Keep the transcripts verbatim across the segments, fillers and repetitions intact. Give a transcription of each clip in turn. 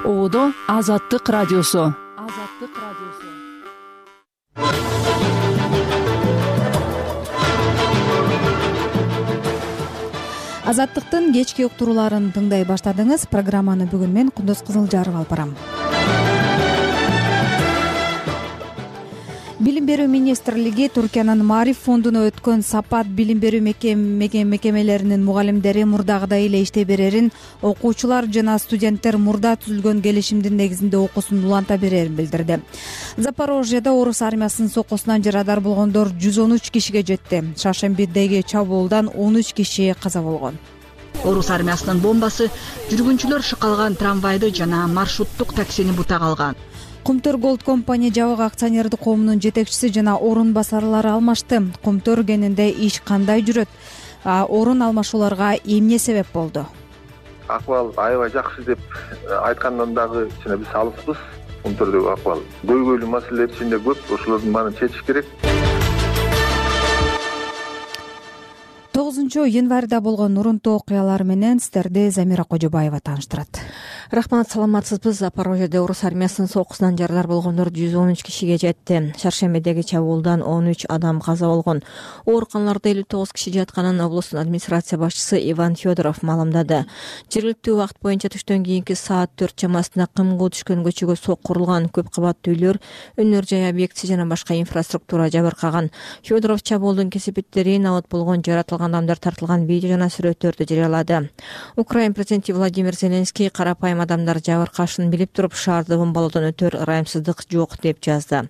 Оодо Азаттык радиосу. Азаттык радиосу. Азаттыктын кечки уктурууларын тыңдай баштадыңыз. Программаны бүгүн мен Кундуз Кызылжаров алып барам. Билим берүү министрлиги Түркиянын Маариф фондуна өткөн сапат билим берүү мекемелеринин мугалимдери мурдагыдай эле иштей берерин, окуучулар жана студенттер мурда түзүлгөн келишимдин негизинде окуусун уланта берерин билдирди. Запорожьеда орус армиясынын соккусунан жарадар болгондор жүз он үч кишиге жетти. Шаршембидеги чабуулдан он үч киши каза болгон. Орус армиясынын бомбасы жүргүнчүлөр шыкалган трамвайды жана маршруттук таксини бута калган. Кумтөр Голд компания жабык акционердик коомунун жетекчиси жана орун басарлары алмашты. Кумтөр кенинде иш кандай жүрөт? Орун алмашууларга эмне себеп болду? Акыбал аябай жакшы деп айткандан дагы ичине биз алыспыз. Кумтөрдөгү акыбал көйгөйлүү маселелер ичинде көп, ошолордун баарын чечиш керек. тогузунчу январда болгон урунтуу окуялар менен сиздерди Замира Кожобаева тааныштырат. Рахмат, саламатсызбы. Запорожьеде орус армиясынын соккусунан жарадар болгондор жүз он үч кишиге жетти. Шаршембидеги чабуулдан он үч адам каза болгон. Ооруканаларда элүү тогуз киши жатканын облустун администрация башчысы Иван Федоров маалымдады. Жергиликтүү убакыт боюнча түштөн кийинки саат төрт чамасында кымгуу түшкөн көчөгө соккурулган көп кабаттуу үйлөр, өнөр жай объектиси жана башка инфраструктура жабыркаган. Федоров чабуулдун кесепеттерин, абат болгон жаратылган адамдар тартылган видео жана сүрөттөрдү жарыялады. Украин президенти Владимир Зеленский карапайым адамдар жабыркашын билип туруп шаарды бомбалоодон өтөр ырайымсыздык жок деп жазды.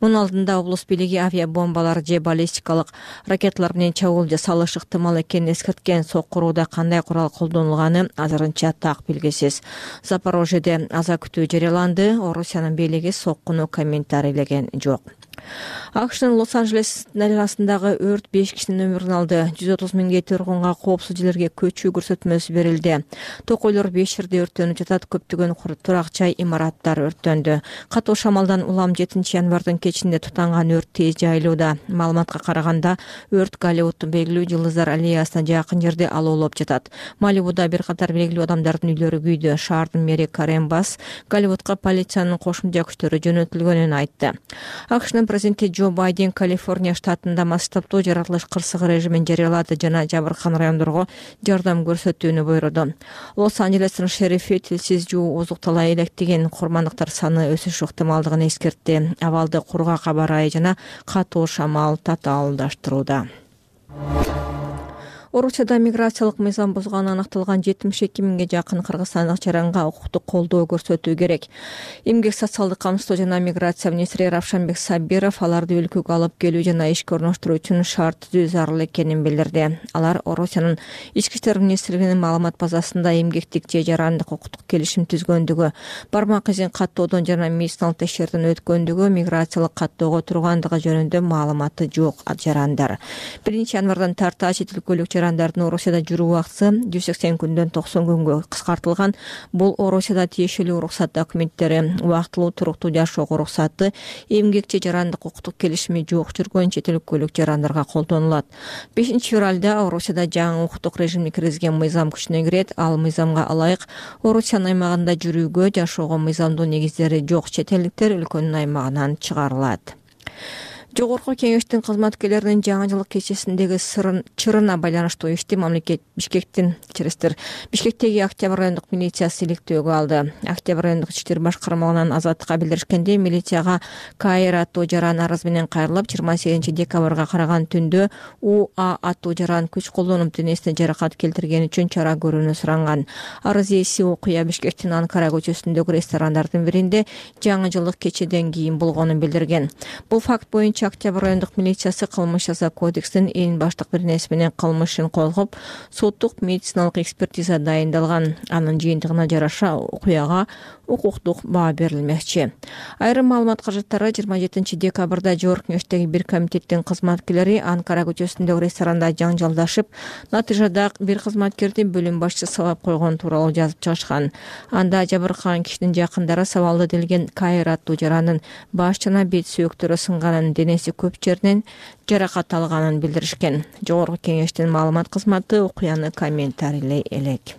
Мунун алдында облус бийлиги авиабомбалар же баллистикалык ракеталар менен чабуул жасалышы ыктымал экенин эскерткен. Соккурууда кандай курал колдонулганы азырынча так белгисиз. Запорожьеде аза күтүү жарыяланды. Орусиянын бийлиги соккуну комментарийлеген жок. АКШнын Лос-Анджелес дарыясындагы өрт беш кишинин өмүрүн алды. жүз отуз миңге тургунга коопсуз жерлерге көчүү көрсөтмөсү берилди. Токойлор беш жерде өрттөнүп жатат, көптөгөн турак жай имараттар өрттөндү. Катуу шамалдан улам жетинчи январдын кечинде тутанган өрт тез жайылууда. Маалыматка караганда, өрт Голливуддун белгилүү жылдыздар аллеясына жакын жерде алоолоп жатат. Малибуда бир катар белгилүү адамдардын үйлөрү күйдү. Шаардын мэри Карен Басс Голливудка полициянын кошумча күчтөрү жөнөтүлгөнүн айтты. АКШнын президенти Джо Байден Калифорния штатында массаптуу жаратылыш кырсыгы режимин жарыялады жана жабыркаган райондорго жардам көрсөтүүнү буйруду. Лос-Анджелестин шерифи тилсиз жуу озуктала электеген курмандыктар саны өсүш ыктымалдыгын эскертти. Абалды кургак аба ырайы жана катуу шамал татаалдаштырууда. Орусияда миграциялык мыйзам бузганы аныкталган жетимиш эки миңге жакын кыргызстандык жаранга укуктук колдоо көрсөтүү керек. Эмгек социалдык камсыздоо жана миграция министри Равшанбек Сабиров аларды өлкөгө алып келүү жана ишке орноштуруу үчүн шарт түзүү зарыл экенин билдирди. Алар Орусиянын ички иштер министрлигинин маалымат базасында эмгектик же жарандык укуктук келишим түзгөндүгү, бармак изин каттоодон жана медициналык текшерүүдөн өткөндүгү, миграциялык каттоого тургандыгы жөнүндө маалыматы жок жарандар. биринчи январдан тарта чет өлкөлүк жарандардын Орусияда жүрүү убакыты жүз сексен күндөн токсон күнгө кыскартылган. Бул Орусияда тиешелүү уруксат документтери, убактылуу туруктуу жашоого уруксаты, эмгек же жарандык укуктук келишими жок жүргөн чет өлкөлүк жарандарга колдонулат. бешинчи февралда Орусияда жаңы укуктук режимге киргизген мыйзам күчүнө кирет. Ал мыйзамга ылайык Орусиянын аймагында жүрүүгө, жашоого мыйзамдуу негиздери жок чет элдиктер өлкөнүн аймагынан чыгарылат. Жогорку кеңештин кызматкерлеринин жаңы жылык кечесиндеги сырын чырына байланыштуу ишти мамлекет Бишкектин кечирестир. Бишкектеги Октябрь райондук милициясы иликтөөгө алды. Октябрь райондук ички иштер башкармалыгынан Азаттыкка билдиришкенде, милицияга Кайыр аттуу жаран арыз менен кайрылып, жыйырма сегизинчи декабрга караган түндө У А аттуу жаран күч колдонуп денесине жаракат келтиргени үчүн чара көрүүнү суранган. Арыз ээси окуя Бишкектин Анкара көчөсүндөгү ресторандардын биринде жаңы жылдык кечеден кийин болгонун билдирген. Бул факт боюнча Октябрь райондук милициясы кылмыш жаза кодексинин эң баштык бирнеси менен кылмышын козгоп, соттук медициналык экспертиза дайындалган. Анын жыйынтыгына жараша окуяга укуктук баа берилмекчи. Айрым маалымат каражаттары жыйырма жетинчи декабрда Жогорку кеңештеги бир комитеттин кызматкерлери Анкара көчөсүндөгү ресторанда жаңжалдашып, натыйжада бир кызматкерди бөлүм башчысы сабап койгон тууралуу жазып чыгышкан. Анда жабыркаган кишинин жакындары сабалды делген Кайыр аттуу жарандын баш жана бет сөөктөрү сынганын, денеси көп жеринен жаракат алганын билдиришкен. Жогорку кеңештин маалымат кызматы окуяны комментарийлей элек.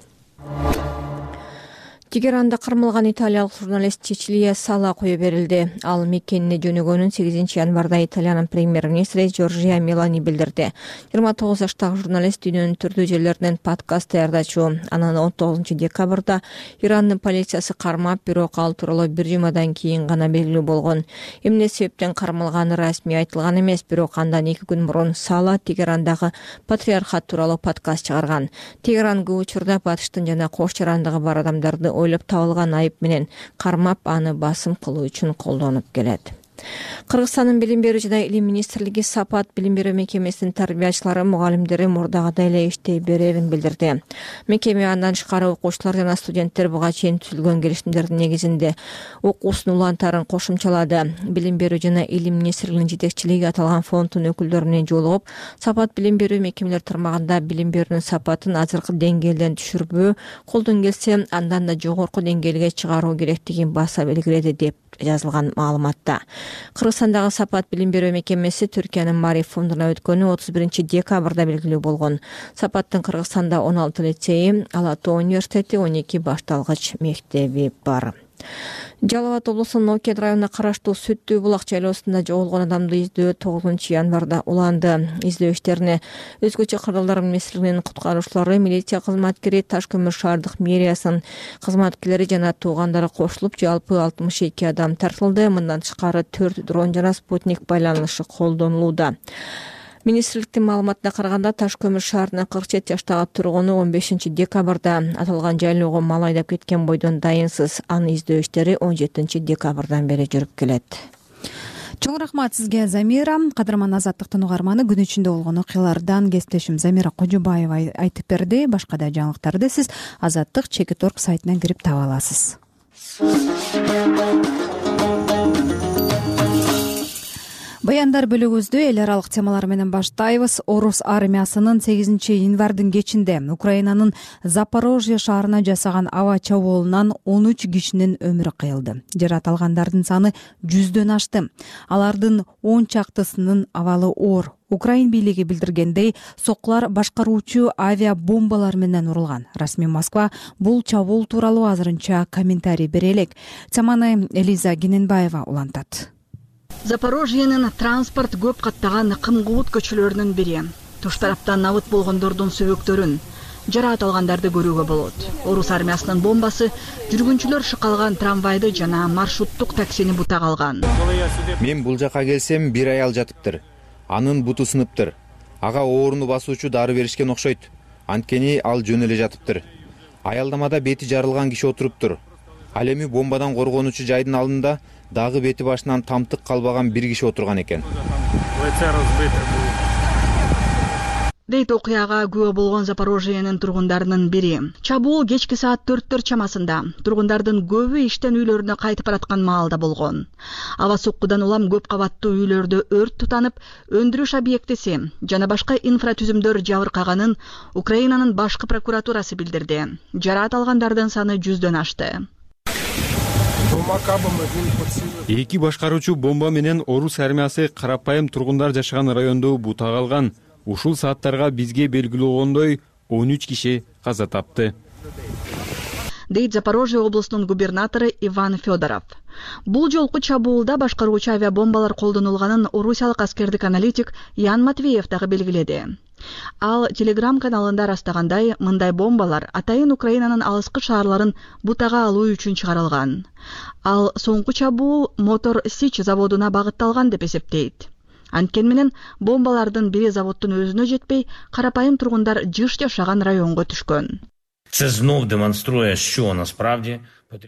Тегеранда кармалган италиялык журналист Чичилия Сала кое берилди. Ал мекенине жөнөгөнүн сегизинчи январда Италиянын премьер-министри Джорджия Мелани билдирди. жыйырма тогуз жаштагы журналист дүйнөнүн түрдүү жерлеринен подкаст даярдачу. Анан он тогузунчу декабрда Ирандын полициясы кармап, бирок ал тууралуу бир жумадан кийин гана белгилүү болгон. Эмне себептен кармалганы расмий айтылган эмес, бирок андан эки күн мурун Сала Тегерандагы патриархат тууралуу подкаст чыгарган. Тегеран көп учурда батыштын жана кош жарандыгы бар адамдарды ойлоп табылган айып менен кармап, аны басым кылуу үчүн колдонуп келет. Кыргызстандын билим берүү жана илим министрлиги Сапат билим берүү мекемесинин тарбиячылары, мугалимдери мурдагыдай эле иштей берерин билдирди. Мекеме андан тышкары окуучулар жана студенттер буга чейин түзүлгөн келишимдердин негизинде окуусун улантаарын кошумчалады. Билим берүү жана илим министрлигинин жетекчилиги аталган фонддун өкүлдөрү жолугуп, Сапат билим берүү мекемелер тармагында билим берүүнүн сапатын азыркы деңгээлден түшүрбөө, колдон келсе андан да жогорку деңгээлге чыгаруу керектигин баса белгиледи деп жазылган маалыматта. Кыргызстандагы Сапат билим берүү мекемеси Түркиянын Мариф фондуна өткөнү отуз биринчи декабрда белгилүү болгон. Сапаттын Кыргызстанда он алты лицейи, Ала Тоо университети, он эки башталгыч мектеби бар. Жалал Абад облусунун Окед районуна караштуу Сүттүү булак жайлоосунда жоголгон адамды издөө тогузунчу январда уланды. Издөө иштерине өзгөчө кырдаалдар министрлигинин куткаруучулары, милиция кызматкери, Таш көмүр шаардык мэриясынын кызматкерлери жана туугандары кошулуп, жалпы алтымыш эки адам тартылды. Мындан тышкары төрт дрон жана спутник байланышы колдонулууда. Министрликтин маалыматына караганда, Таш көмүр шаарынын кырк жети жаштагы тургуну он бешинчи декабрда аталган жайлоого мал айдап кеткен бойдон дайынсыз. Аны издөө иштери он жетинчи декабрдан бери жүрүп келет. Чоң рахмат сизге, Замира. Кадырман Азаттыктын угарманы, күн ичинде болгон окуялардан кесиптешим Замира Кожобаева айтып берди. Башка да жаңылыктарды сиз Азаттык чекит точка орг сайтынан кирип таба аласыз. Баяндар бөлүгүбүздү эл аралык темалар менен баштайбыз. Орус армиясынын сегизинчи январдын кечинде Украинанын Запорожье шаарына жасаган аба чабуулунан он үч кишинин өмүрү кыйылды. Жаракат алгандардын саны жүздөн ашты. Алардын он чактысынын абалы оор. Украин бийлиги билдиргендей, соккулар башкаруучу авиабомбалар менен урулган. Расмий Москва бул чабуул тууралуу азырынча комментарий бере элек. Теманы Элиза Гененбаева улантат. Запорожьенин транспорт көп каттаган кымкубут көчөлөрүнүн бири. Туш тараптан набыт болгондордун сөбөктөрүн, жаракат алгандарды көрүүгө болот. Орус армиясынын бомбасы жүргүнчүлөр шыкалган трамвайды жана маршруттук таксини бута калган. Мен бул жака келсем, бир аял жатыптыр. Анын буту сыныптыр. Ага ооруну басуучу дары беришкен окшойт. Анткени ал жөн эле жатыптыр. Аялдамада бети жарылган киши отуруптур. Ал эми бомбадан коргонуучу жайдын алдында дагы бети башынан тамтык калбаган бир киши отурган экен. Дейт окуяга күбө болгон Запорожьенин тургундарынын бири. Чабуул кечки саат төрттөр чамасында тургундардын көбү иштен үйлөрүнө кайтып бараткан маалда болгон. Аба соккудан улам көп кабаттуу үйлөрдө өрт тутанып, өндүрүш объектиси жана башка инфратүзүмдөр жабыркаганын Украинанын башкы прокуратурасы билдирди. Жаракат алгандардын саны жүздөн ашты. Эки башкаруучу бомба менен Орус армиясы карапайым тургундар жашаган районду бута калган. Ушул сааттарга бизге белгилүү болгондой он үч киши каза тапты. Дейт Запорожье облусунун губернатору Иван Федоров. Бул жолку чабуулда башкаруучу авиабомбалар колдонулганын орусиялык аскердик аналитик Ян Матвеев дагы белгиледи. Ал Телеграм каналында растагандай, мындай бомбалар атайын Украинанын алыскы шаарларын бутага алуу үчүн чыгарылган. Ал соңку чабуул Мотор Сич заводуна багытталган деп эсептейт. Анткени менен бомбалардын бири заводдун өзүнө жетпей, карапайым тургундар жыш жашаган районго түшкөн. Це знов демонструє, що насправді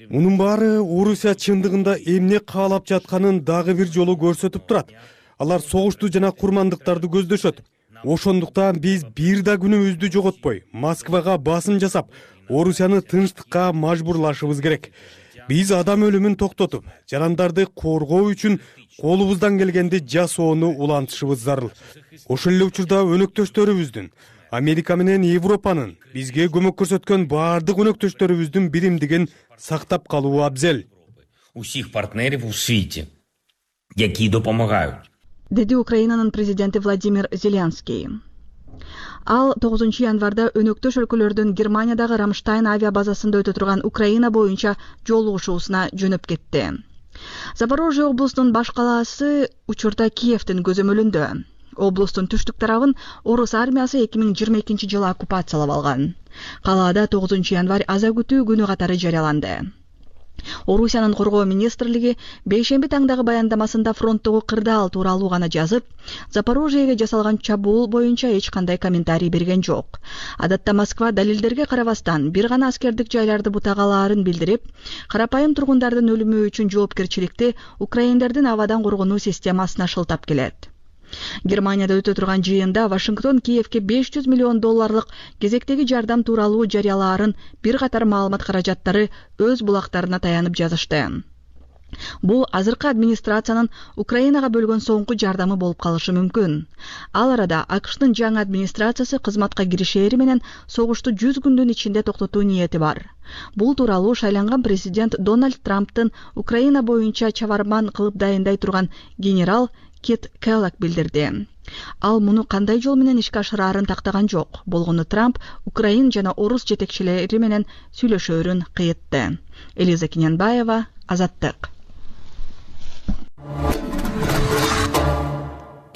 Мунун баары Орусия чындыгында эмне каалап жатканын дагы бир жолу көрсөтүп турат. Алар согушту жана курмандыктарды көздөшөт. Ошондуктан биз бир да күнүбүздү жоготпой, Москвага басым жасап, Орусияны тынчтыкка мажбурлашыбыз керек. Биз адам өлүмүн токтотуп, жарандарды коргоо үчүн колубуздан келгенди жасоону улантышыбыз зарыл. Ошол эле учурда өнөктөштөрүбүздүн, Америка менен Европанын бизге көмөк көрсөткөн баардык өнөктөштөрүбүздүн биримдигин сактап калуу абзел. Усіх партнерів у світі, які допомагають. Деди Украинанын президенти Владимир Зеленский. Ал тогузунчу январда өнөктөш өлкөлөрдүн Германиядагы Рамштайн авиа базасында өтө турган Украина боюнча жолугушуусуна жөнөп кетти. Запорожье облусунун баш калаасы учурда Киевдин көзөмөлүндө. Облустун түштүк тарабын орус армиясы эки миң жыйырма экинчи жылы оккупациялап алган. Калаада тогузунчу январь аза күтүү күнү катары жарыяланды. Орусиянын коргоо министрлиги бейшемби таңдагы баяндамасында фронттогу кырдаал тууралуу гана жазып, Запорожьеге жасалган чабуул боюнча эч кандай комментарий берген жок. Адатта Москва далилдерге карабастан бир гана аскердик жайларды бутагалаарын билдирип, карапайым тургундардын өлүмү үчүн жоопкерчиликти украиндердин абадан коргонуу системасына шылтап келет. Германияда өтө турган жыйында Вашингтон Киевге беш жүз миллион долларлык кезектеги жардам тууралуу жарыялаарын бир катар маалымат каражаттары өз булактарына таянып жазышты. Бул азыркы администрациянын Украинага бөлгөн соңку жардамы болуп калышы мүмкүн. Ал арада АКШтын жаңы администрациясы кызматка киришери менен согушту жүз күндүн ичинде токтотуу ниети бар. Бул тууралуу шайланган президент Дональд Трамптын Украина боюнча чабарман кылып дайындай турган генерал Кит Келлог билдирди. Ал муну кандай жол менен ишке ашыраарын тактаган жок. Болгону Трамп Украин жана орус жетекчилери менен сүйлөшөөрүн кыйытты. Элиза Кинянбаева, Азаттык.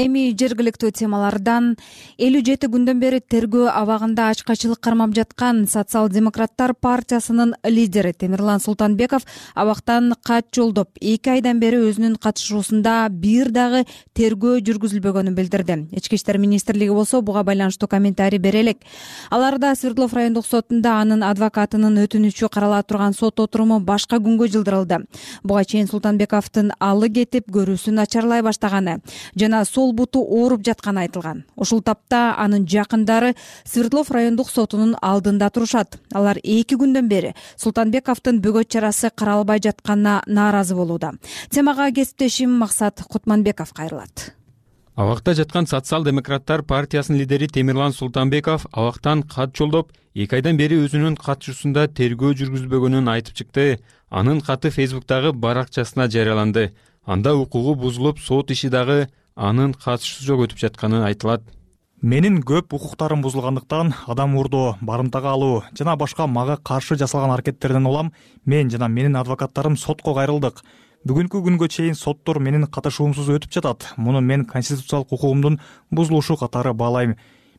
Эми жергиликтүү темалардан элүү жети күндөн бери тергөө абагында ачкачылык кармап жаткан Социал-демократтар партиясынын лидери Темирлан Султанбеков абактан кат жолдоп, эки айдан бери өзүнүн катышуусунда бир дагы тергөө жүргүзүлбөгөнүн билдирди. Ички иштер министрлиги болсо буга байланыштуу комментарий бере элек. Аларда Свердлов райондук сотунда анын адвокатынын өтүнүчү карала турган сот отуруму башка күнгө жылдырылды. Буга чейин Султанбековдун алы кетип, көрүүсү начарлай баштаганы жана сол буту ооруп жатканы айтылган. Ушул тапта анын жакындары Свердлов райондук сотунун алдында турушат. Алар эки күндөн бери Султанбековдун бөгөт чарасы каралбай жатканына нааразы болууда. Темага кесиптешим Максат Кутманбеков кайрылат. Абакта жаткан Социал-демократтар партиясынын лидери Темирлан Султанбеков абактан кат жолдоп, эки айдан бери өзүнүн катышуусунда тергөө жүргүзбөгөнүн айтып чыкты. Анын каты Фейсбуктагы баракчасына жарыяланды. Анда укугу бузулуп, сот иши дагы анын катышуусу жок өтүп жатканы айтылат. Менин көп укуктарым бузулгандыктан адам урдоо, барымтага алуу жана башка мага каршы жасалган аракеттерден улам мен жана менин адвокаттарым сотко кайрылдык. Бүгүнкү күнгө чейин соттор менин катышуумсуз өтүп жатат. Муну мен конституциялык укугумдун бузулушу катары баалайм.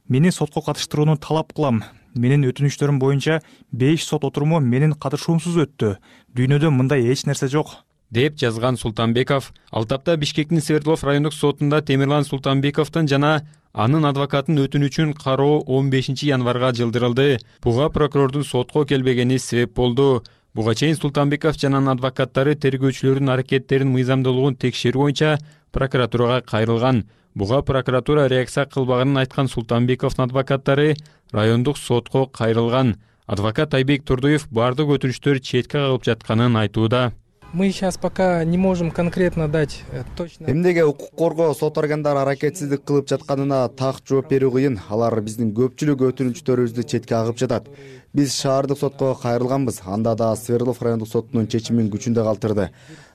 Мени сотко катыштырууну талап кылам. Менин өтүнүчтөрүм боюнча беш сот отуруму менин катышуумсуз өттү. Дүйнөдө мындай эч нерсе жок, деп жазган Султанбеков. Ал тапта Бишкектин Свердлов райондук сотунда Темирлан Султанбековдун жана анын адвокатын өтүнүчүн кароо он бешинчи январга жылдырылды. Буга прокурордун сотко келбегени себеп болду. Буга чейин Султанбеков жана анын адвокаттары тергөөчүлөрдүн аракеттерин мыйзамдуулугун текшерүү боюнча прокуратурага кайрылган. Буга прокуратура реакция кылбаганын айткан Султанбековдун адвокаттары райондук сотко кайрылган. Адвокат Айбек Турдуев бардык өтүнүчтөр четке калып жатканын айтууда. Мы сейчас пока не можем конкретно дать точно. Эмнеге укук коргоо сот органдары аракетсиздик кылып жатканына так жооп берүү кыйын. Алар биздин көпчүлүк өтүнүчтөрүбүздү четке кагып жатат. Биз шаардык сотко кайрылганбыз. Анда да Свердлов райондук сотунун чечимин күчүндө калтырды.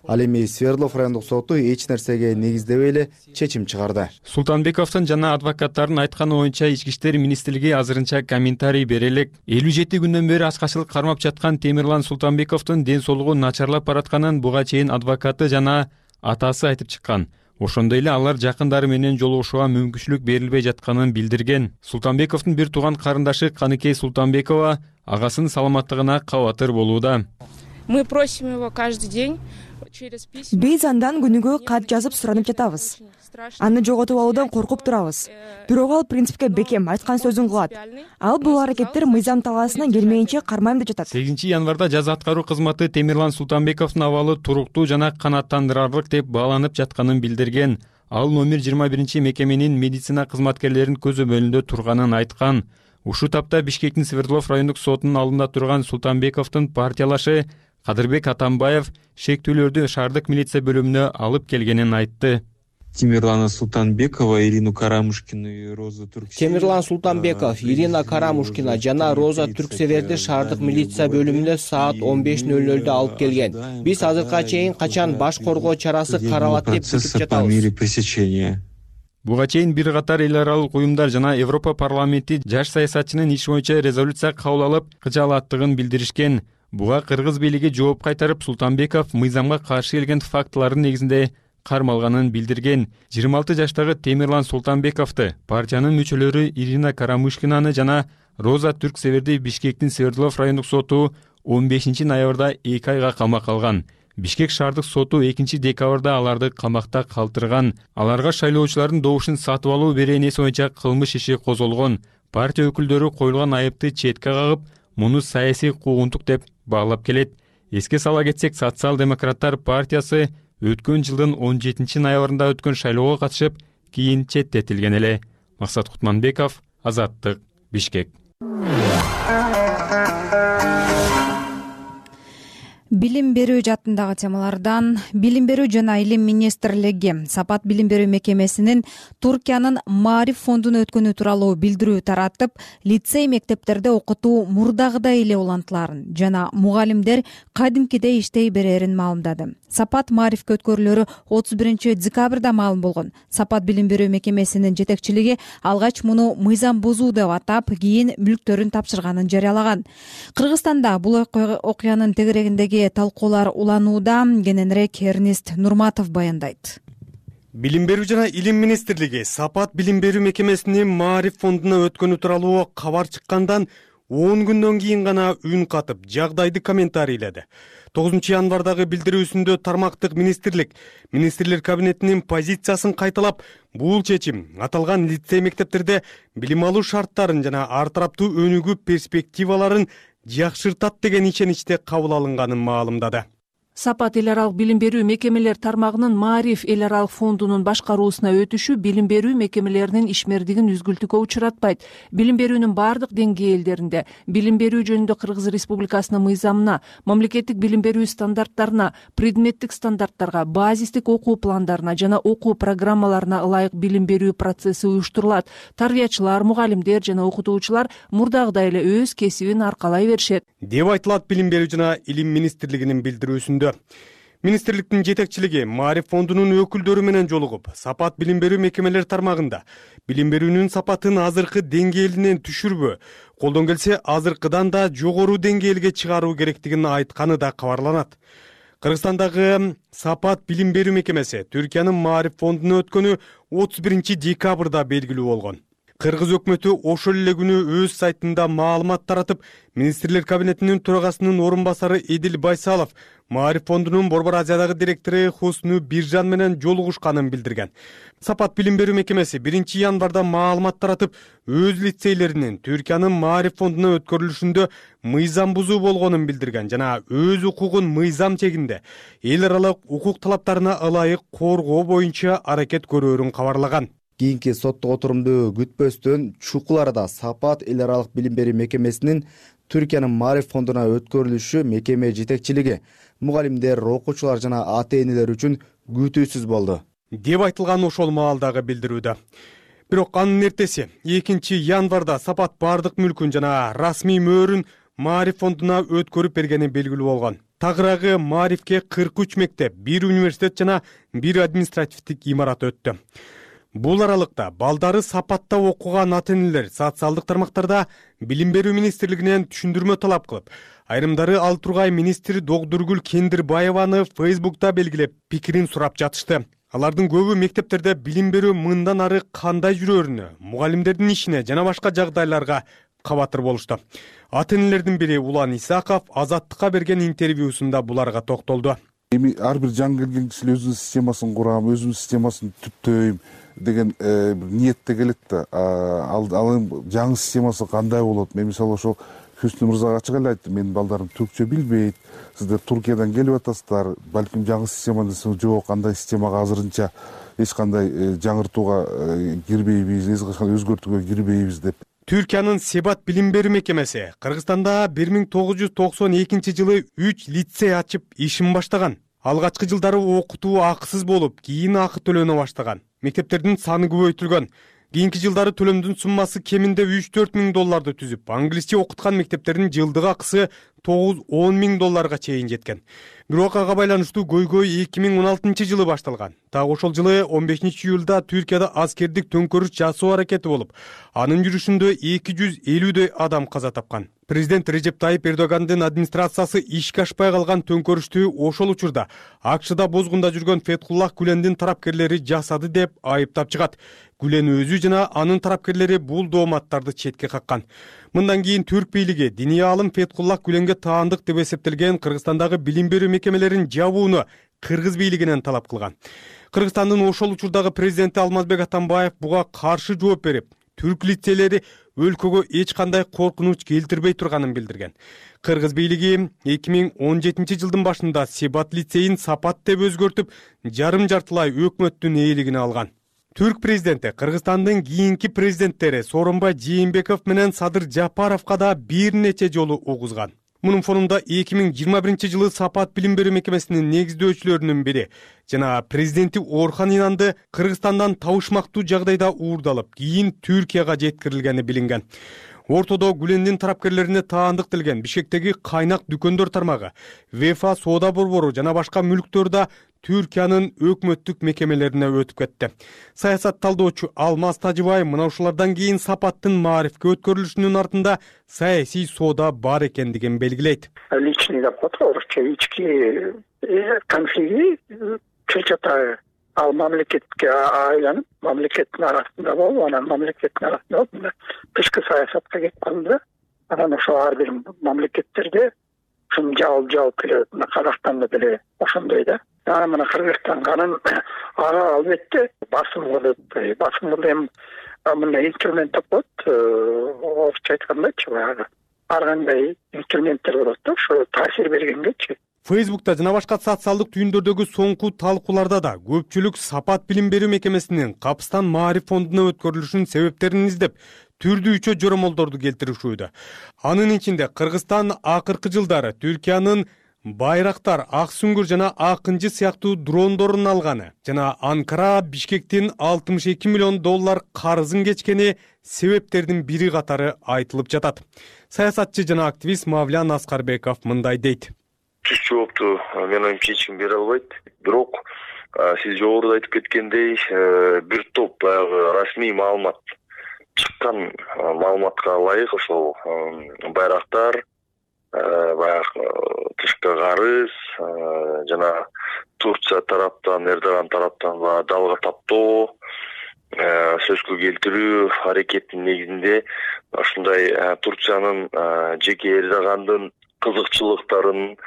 Ал эми Свердлов райондук соту эч нерсеге негиздебей эле чечим чыгарды. Султанбековдун жана адвокаттардын айтканы боюнча ички иштер министрлиги азырынча комментарий бере элек. элүү жети күндөн бери ачкачылык кармап жаткан Темирлан Султанбековдун ден соолугу начарлап баратканын буга чейин адвокаты жана атасы айтып чыккан. Ошондой эле алар жакындары менен жолугушууга мүмкүнчүлүк берилбей жатканын билдирген. Султанбековдун бир тууган карындашы Каныкей Султанбекова агасынын саламаттыгына кабатыр болууда. Мы просим его каждый день через письма. Биз андан күнүгө кат жазып суранып жатабыз. Аны жоготуп алуудан коркуп турабыз. Бирок ал принципке бекем айткан сөзүн кылат. Ал бул аракеттер мыйзам талаасынан келмейинче кармайм деп жатат. сегизинчи январда жаза аткаруу кызматы Темирлан Султанбековдун абалы туруктуу жана канааттандырарлык деп бааланып жатканын билдирген. Ал номер жыйырма биринчи мекеменин медицина кызматкерлеринин көзөмөлүндө турганын айткан. Ушул тапта Бишкектин Свердлов райондук сотунун алдында турган Султанбековдун партиялашы Кадырбек Атамбаев шектүүлөрдү шаардык милиция бөлүмүнө алып келгенин айтты. Темирлана Султанбекова, Ирину Карамушкину и Роза Турксеверди. Темирлан Султанбеков, Ирина Карамушкина жана Роза Турксеверди шаардык милиция бөлүмүнө саат он беш ноль нольдо алып келген. Биз азыркыга чейин качан баш коргоо чарасы каралат деп күтүп жатабыз. Буга чейин бир катар эл аралык уюмдар жана Европа парламенти жаш саясатчынын иш боюнча резолюция кабыл алып кыжаалаттыгын билдиришкен. Буга кыргыз бийлиги жооп кайтарып, Султанбеков мыйзамга каршы келген фактылардын негизинде кармалганын билдирген. жыйырма алты жаштагы Темирлан Султанбековду партиянын мүчөлөрү Ирина Карамушкинаны жана Роза Түрксеверди Бишкектин Свердлов райондук соту он бешинчи ноябрда эки айга камакка алган. Бишкек шаардык соту экинчи декабрда аларды камакта калтырган. Аларга шайлоочулардын добушун сатып алуу беренеси боюнча кылмыш иши козголгон. Партия өкүлдөрү коюлган айыпты четке кагып, муну саясий куугунтук деп баалап келет. Эске сала кетсек, Социал-демократтар партиясы өткөн жылдын он жетинчи ноябрында өткөн шайлоого катышып, кийин четтетилген эле. Максат Кутманбеков, Азаттык, Бишкек. Билим берүү жаатындагы темалардан Билим берүү жана илим министрлиги Сапат билим берүү мекемесинин Туркиянын Маариф фондуна өткөнү тууралуу билдирүү таратып, лицей мектептерде окутуу мурдагыдай эле улантыларын жана мугалимдер кадимкидей иштей берерин маалымдады. Сапат Маарифке өткөрүлөрү отуз биринчи декабрда маалым болгон. Сапат билим берүү мекемесинин жетекчилиги алгач муну мыйзам бузуу деп атап, кийин мүлктөрүн тапшырганын жарыялаган. Кыргызстанда бул окуянын тегерегиндеги талкуулар уланууда. Кененирээк Эрнест Нурматов баяндайт. Билим берүү жана илим министрлиги Сапат билим берүү мекемесинин Маариф фондуна өткөнү тууралуу кабар чыккандан он күндөн кийин гана үн катып, жагдайды комментарийледи. тогузунчу январдагы билдирүүсүндө тармактык министрлик министрлер кабинетинин позициясын кайталап, бул чечим аталган лицей мектептерде билим алуу шарттарын жана ар тараптуу өнүгүү перспективаларын жакшыртат деген ишеничте кабыл алынганын маалымдады. Сапат эл аралык билим берүү мекемелер тармагынын Маариф эл аралык фондунун башкаруусуна өтүшү билим берүү мекемелеринин ишмердигин үзгүлтүккө учуратпайт. Билим берүүнүн бардык деңгээлдеринде билим берүү жөнүндө Кыргыз Республикасынын мыйзамына, мамлекеттик билим берүү стандарттарына, предметтик стандарттарга, базистик окуу пландарына жана окуу программаларына ылайык билим берүү процесси уюштурулат. Тарбиячылар, мугалимдер жана окутуучулар мурдагыдай эле өз кесибин аркалай беришет, деп айтылат Билим берүү жана илим министрлигинин билдирүүсүндө. Министрликтин жетекчилиги Маариф фондунун өкүлдөрү менен жолугуп, Сапат билим берүү мекемелер тармагында билим берүүнүн сапатын азыркы деңгээлинен түшүрбө, колдон келсе азыркыдан да жогору деңгээлге чыгаруу керектигин айтканы да кабарланат. Кыргызстандагы Сапат билим берүү мекемеси Түркиянын Маариф фондуна өткөнү отуз биринчи декабрда белгилүү болгон. Кыргыз өкмөтү ошол эле күнү өз сайтында маалымат таратып, министрлер кабинетинин төрагасынын орун басары Эдил Байсалов Маариф фондунун Борбор Азиядагы директору Хусну Биржан менен жолугушканын билдирген. Сапат билим берүү мекемеси биринчи январда маалымат таратып, өз лицейлеринин Түркиянын Маариф фондуна өткөрүлүшүндө мыйзам бузуу болгонун билдирген жана өз укугун мыйзам чегинде эл аралык укук талаптарына ылайык коргоо боюнча аракет көрөөрүн кабарлаган. Кийинки соттук отурумду күтпөстөн чукул арада Сапат эл аралык билим берүү мекемесинин Түркиянын Маариф фондуна өткөрүлүшү мекеме жетекчилиги, мугалимдер, окуучулар жана ата-энелер үчүн күтүүсүз болду, деп айтылган ошол маалдагы билдирүүдө. Бирок анын эртеси экинчи январда Сапат бардык мүлкүн жана расмий мөөрүн Маариф фондуна өткөрүп бергени белгилүү болгон. Тагыраагы Маарифке кырк үч мектеп, бир университет жана бир административдик имарат өттү. Бул аралыкта балдары Сапатта окуган ата-энелер социалдык тармактарда билим берүү министрлигинен түшүндүрмө талап кылып, айрымдары ал тургай министр Догдургүл Кендирбаеваны Фейсбукта белгилеп, пикирин сурап жатышты. Алардын көбү мектептерде билим берүү мындан ары кандай жүрөрүнө, мугалимдердин ишине жана башка жагдайларга кабатыр болушту. Ата-энелердин бири Улан Исаков Азаттыкка берген интервьюсунда буларга токтолду. Эми ар бир жаңы келген киши өзүнүн системасын курам, өзүнүн системасын түптөйм деген ниетте келет да. Ал жаңы системасы кандай болот? Мен мисалы ошол Хүснү мырзага ачык эле айттым, менин балдарым түркчө билбейт. Сиздер Туркиядан келип атасыздар, балким жаңы система десең жок, кандай системага азырынча эч кандай жаңыртууга кирбейбиз, эч кандай өзгөртүүгө кирбейбиз деп. Түркиянын Сапат билим берүү мекемеси Кыргызстанда бир миң тогуз жүз токсон экинчи жылы үч лицей ачып ишин баштаган. Алгачкы жылдары окутуу акысыз болуп, кийин акы төлөнө баштаган. Мектептердин саны көбөйтүлгөн. Кийинки жылдары төлөмдүн суммасы кеминде үч төрт миң долларды түзүп, англисче окуткан мектептердин жылдык акысы тогуз он миң долларга чейин жеткен. Бирок ага байланыштуу көйгөй эки миң он алтынчы жылы башталган. Так ошол жылы он бешинчи июлда Түркияда аскердик төңкөрүш жасоо аракети болуп, анын жүрүшүндө эки жүз элүүдөй адам каза тапкан. Президент Режеп Тайип Эрдогандын администрациясы ишке ашпай калган төңкөрүштү ошол учурда АКШда бозгунда жүргөн Фетхуллах Гүлендин тарапкерлери жасады деп айыптап чыгат. Гүлен өзү жана анын тарапкерлери бул дооматтарды четке каккан. Мындан кийин түрк бийлиги диний аалым Фетхуллах Гүленге таандык деп эсептелген Кыргызстандагы билим берүү мекемелерин жабууну кыргыз бийлигинен талап кылган. Кыргызстандын ошол учурдагы президенти Алмазбек Атамбаев буга каршы жооп берип, түрк лицейлери өлкөгө эч кандай коркунуч келтирбей турганын билдирген. Кыргыз бийлиги эки миң он жетинчи жылдын башында Себат лицейин Сапат деп өзгөртүп, жарым жартылай өкмөттүн ээлигине алган. Түрк президенти Кыргызстандын кийинки президенттери Сооронбай Жээнбеков менен Садыр Жапаровго да бир нече жолу угузган. Мунун фонунда эки миң жыйырма биринчи жылы Сапат билим берүү мекемесинин негиздөөчүлөрүнүн бири жана президенти Орхан Инанды Кыргызстандан табышмактуу жагдайда уурдалып, кийин Түркияга жеткирилгени билинген. Ортодо Гүлендин тарапкерлерине таандык делген Бишкектеги кайнак дүкөндөр тармагы, Вефа соода борбору жана башка мүлктөр да Түркиянын өкмөттүк мекемелерине өтүп кетти. Саясат талдоочу Алмаз Тажыбай мына ушулардан кийин Сапаттын маарифке өткөрүлүшүнүн артында саясий соода бар экендигин белгилейт. Личный доход, орусча ички конфликти чечата ал мамлекетке айланып, мамлекеттин арасында болуп, анан мамлекеттин арасында болуп, тышкы саясатка кетип калды. Анан ошо ар бир мамлекеттерде ушун жабылып жабылып келет. Мына Казакстанда деле ошондой да. Анан мына Кыргызстанга анан ага албетте басым кылып, басым кылып эми мындай инструмент тапат, орусча айткандачы баягы. Ар кандай инструменттер болот да, ошо таасир бергенгечи. Фейсбукта жана башка социалдык түйүндөрдөгү соңку талкууларда да көпчүлүк Сапат билим берүү мекемесинин Капстан маариф фондуна өткөрүлүшүнүн себептерин издеп, түрдүүчө жоромолдорду келтиришүүдө. Анын ичинде Кыргызстан акыркы жылдары Түркиянын Байрактар, Ак Сүңгүр жана Акынчы сыяктуу дрондорун алганы жана Анкара Бишкектин алтымыш эки миллион доллар карызын кечкени себептердин бири катары айтылып жатат. Саясатчы жана активист Мавлян Аскарбеков мындай дейт. Түз жоопту мен оюмча эч ким бере албайт. Бирок сиз жогоруда айтып кеткендей, бир топ баягы расмий маалымат чыккан маалыматка ылайык ошол Байрактар, баягы тышкы карыз жана Турция тараптан, Эрдоган тараптан далга таптоо, сөзгө келтирүү аракетинин негизинде ушундай Турциянын жеке Эрдогандын кызыкчылыктарын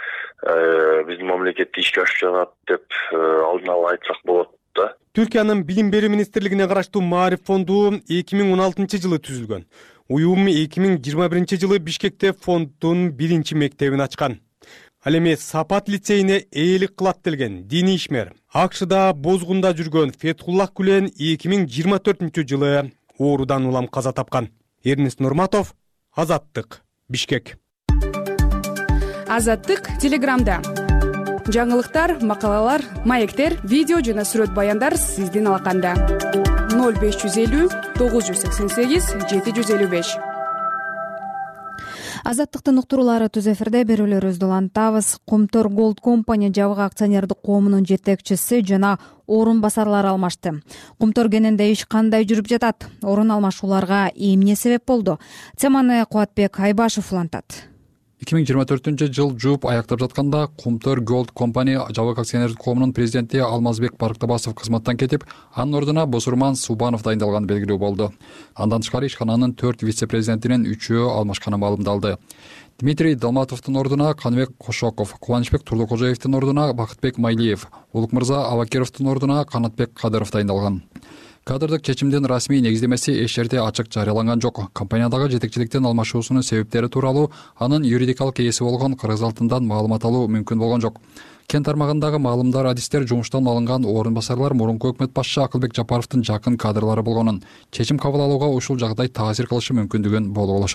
биздин мамлекетте ишке ашып жатат деп алдын ала айтсак болот да. Түркиянын билим берүү министрлигине караштуу Маариф фонду эки миң он алтынчы жылы түзүлгөн. Уюм эки миң жыйырма биринчи жылы Бишкекте фонддун биринчи мектебин ачкан. Ал эми Сапат лицейине ээлик кылат делген диний ишмер АКШда бозгунда жүргөн Фетхуллах Гүлен эки миң жыйырма төртүнчү жылы оорудан улам каза тапкан. Эрнест Нурматов, Азаттык, Бишкек. Азаттык Телеграмда. Жаңылыктар, макалалар, маектер, видео жана сүрөт баяндар сиздин алаканда. ноль беш жүз элүү тогуз жүз сексен сегиз жети жүз элүү беш. Азаттыктын уктуруулары түз эфирде берүүлөрүбүздү улантабыз. Кумтөр Gold Company жабык акционердик коомунун жетекчиси жана орун басарлары алмашты. Кумтөр кененде иш кандай жүрүп жатат? Орун алмашууларга эмне себеп болду? Теманы Кубатбек Айбашев улантат. эки миң жыйырма төртүнчү жыл жууп аяктап жатканда Кумтөр Gold Company жабык акционердик коомунун президенти Алмазбек Барктабасов кызматтан кетип, анын ордуна Босурман Субанов дайындалганы белгилүү болду. Андан тышкары ишкананын төрт вице-президентинин үчөө алмашканы маалымдалды. Дмитрий Долматовдун ордуна Каныбек Кошоков, Кубанычбек Турлукожоевдун ордуна Бакытбек Майлиев, Улукмырза Абакировдун ордуна Канатбек Кадыров дайындалган. Кадрдык чечимдин расмий негиздемеси эч жерде ачык жарыяланган жок. Компаниядагы жетекчиликтин алмашуусунун себептери тууралуу анын юридикалык ээси болгон Кыргыз алтындан маалымат алуу мүмкүн болгон жок. Кен тармагындагы маалымдар, адистер жумуштан алынган орун басарлар мурунку өкмөт башчы Акылбек Жапаровдун жакын кадрлары болгонун, чечим кабыл алууга ушул жагдай таасир кылышы мүмкүндүгүн болуп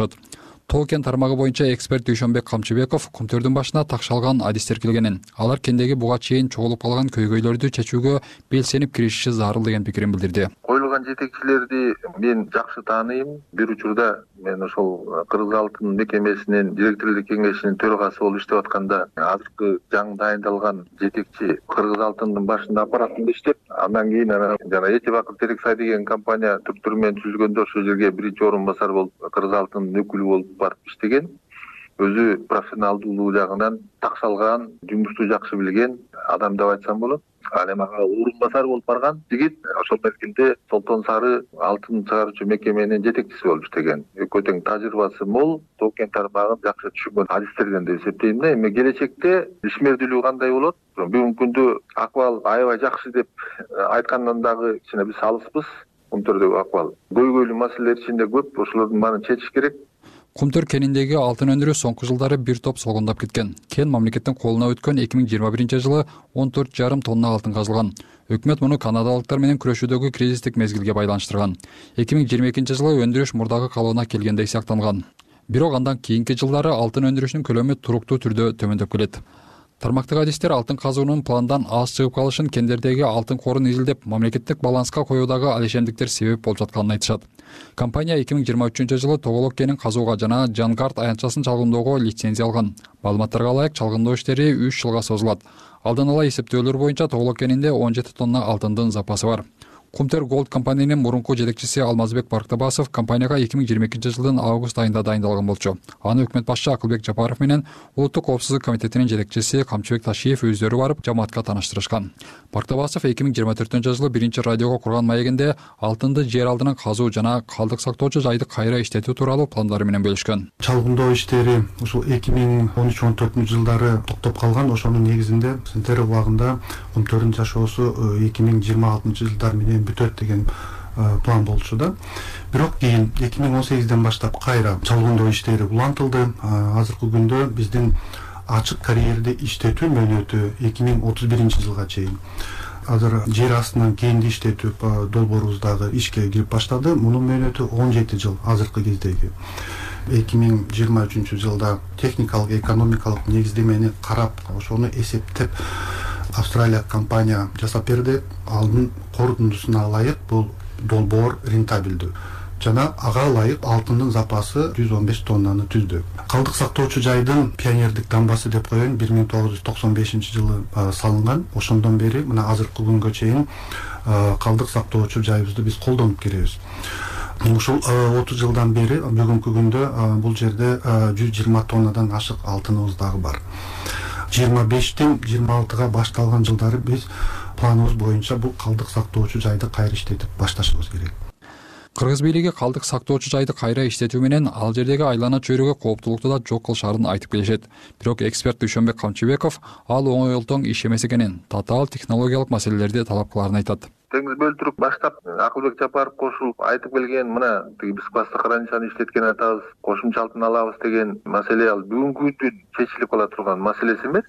Тоо кен тармагы боюнча эксперт Дүйшөнбек Камчыбеков Кумтөрдүн башына такшалган адистер келгенин, алар кендеги буга чейин чогулуп калган көйгөйлөрдү чечүүгө белсенип киришиши зарыл деген пикирин билдирди. Коюлган калган жетекчилерди мен жакшы тааныйм. Бир учурда мен ошол Кыргыз алтын мекемесинин директорлук кеңешинин төрагасы болуп иштеп атканда азыркы жаңы дайындалган жетекчи Кыргыз алтындын башында аппаратында иштеп, андан кийин жана Эти Бакыр Терексай деген компания түрк менен түзүлгөндө ошол жерге биринчи орун басар болуп Кыргыз алтындын өкүлү болуп барып иштеген. Өзү профессионалдуулугу жагынан такшалган, жумушту жакшы билген адам деп айтсам болот. Ал эми ага орун басар болуп барган жигит ошол мезгилде Солтон Сары алтын чыгаруучу мекеменин жетекчиси болуп иштеген. Экөө тең тажрыйбасы мол, токен тармагын жакшы түшүнгөн адистерден деп эсептейм да. Эми келечекте ишмердүүлүгү кандай болот? Бүгүнкү күндө акыбал аябай жакшы деп айткандан дагы кичине биз алыспыз. Кумтөрдөгү акыбал көйгөйлүү маселелер ичинде көп, ошолордун баарын чечиш керек. Кумтөр кениндеги алтын өндүрүү соңку жылдары бир топ солгундап кеткен. Кен мамлекеттин колуна өткөн эки миң жыйырма биринчи жылы он төрт жарым тонна алтын казылган. Өкмөт муну канадалыктар менен күрөшүүдөгү кризистик мезгилге байланыштырган. эки миң жыйырма экинчи жылы өндүрүш мурдагы калыбына келгендей сыяктанган. Бирок андан кийинки жылдары алтын өндүрүшүнүн көлөмү туруктуу түрдө төмөндөп келет. Тармактык адистер алтын казуунун пландан аз чыгып калышын кендердеги алтын корун изилдеп, мамлекеттик баланска коюудагы алишемдиктер себеп болуп жатканын айтышат. Компания эки миң жыйырма үчүнчү жылы Тоголок кенин казууга жана Жангард аянтчасын чалгындоого лицензия алган. Маалыматтарга ылайык, чалгындоо иштери үч жылга созулат. Алдын ала эсептөөлөр боюнча Тоголок кенинде он жети тонна алтындын запасы бар. Кумтөр Голд компаниянын мурунку жетекчиси Алмазбек Барктабасов компанияга эки миң жыйырма экинчи жылдын август айында дайындалган болчу. Аны өкмөт башчы Акылбек Жапаров менен Улуттук коопсуздук комитетинин жетекчиси Камчыбек Ташиев өздөрү барып жамаатка тааныштырышкан. Барктабасов эки миң жыйырма төртүнчү жылы биринчи радиого курган маегинде алтынды жер алдынан казуу жана калдык сактоочу жайды кайра иштетүү тууралуу пландары менен бөлүшкөн. Чалгындоо иштери ушул эки миң он үч он төртүнчү жылдары токтоп калган. Ошонун негизинде Сентер убагында Кумтөрдүн жашоосу эки миң жыйырма алтынчы жылдар менен бүтөт деген план болчу да. Бирок кийин эки миң он сегизден баштап кайра чалгындоо иштери улантылды. Азыркы күндө биздин ачык карьерде иштетүү мөөнөтү эки миң отуз биринчи жылга чейин. Азыр жер астынан кенди иштетүү долбоорубуздагы ишке кирип баштады. Мунун мөөнөтү он жети жыл азыркы кездеги. эки миң жыйырма үчүнчү жылда техникалык, экономикалык негиздемени карап, ошону эсептеп Австралия компания жасап берди. Алдын корутундусуна ылайык бул долбоор рентабелдүү жана ага ылайык алтындын запасы жүз он беш тоннаны түздү. Калдык сактоочу жайдын пионердик дамбасы деп коеюн бир миң тогуз жүз токсон бешинчи жылы салынган. Ошондон бери мына азыркы күнгө чейин калдык сактоочу жайыбызды биз колдонуп келебиз. Ушул отуз жылдан бери бүгүнкү күндө бул жерде жүз жыйырма тоннадан ашык алтыныбыз дагы бар. жыйырма бештен жыйырма алтыга башталган жылдары биз планыбыз боюнча бул калдык сактоочу жайды кайра иштетип башташыбыз керек. Кыргыз бийлиги калдык сактоочу жайды кайра иштетүү менен ал жердеги айлана чөйрөгө кооптулукту да жок кылышаарын айтып келишет. Бирок эксперт Дүйшөнбек Камчыбеков ал оңой олтоң иш эмес экенин, татаал технологиялык маселелерди талап кылаарын айтат. Теңиз бөлтүрүп баштап Акылбек Жапаров кошулуп айтып келген, мына биз басты хранилищаны иштеткен атабыз, кошумча алтын алабыз деген маселе ал бүгүнкү күндүн чечилип кала турган маселеси эмес.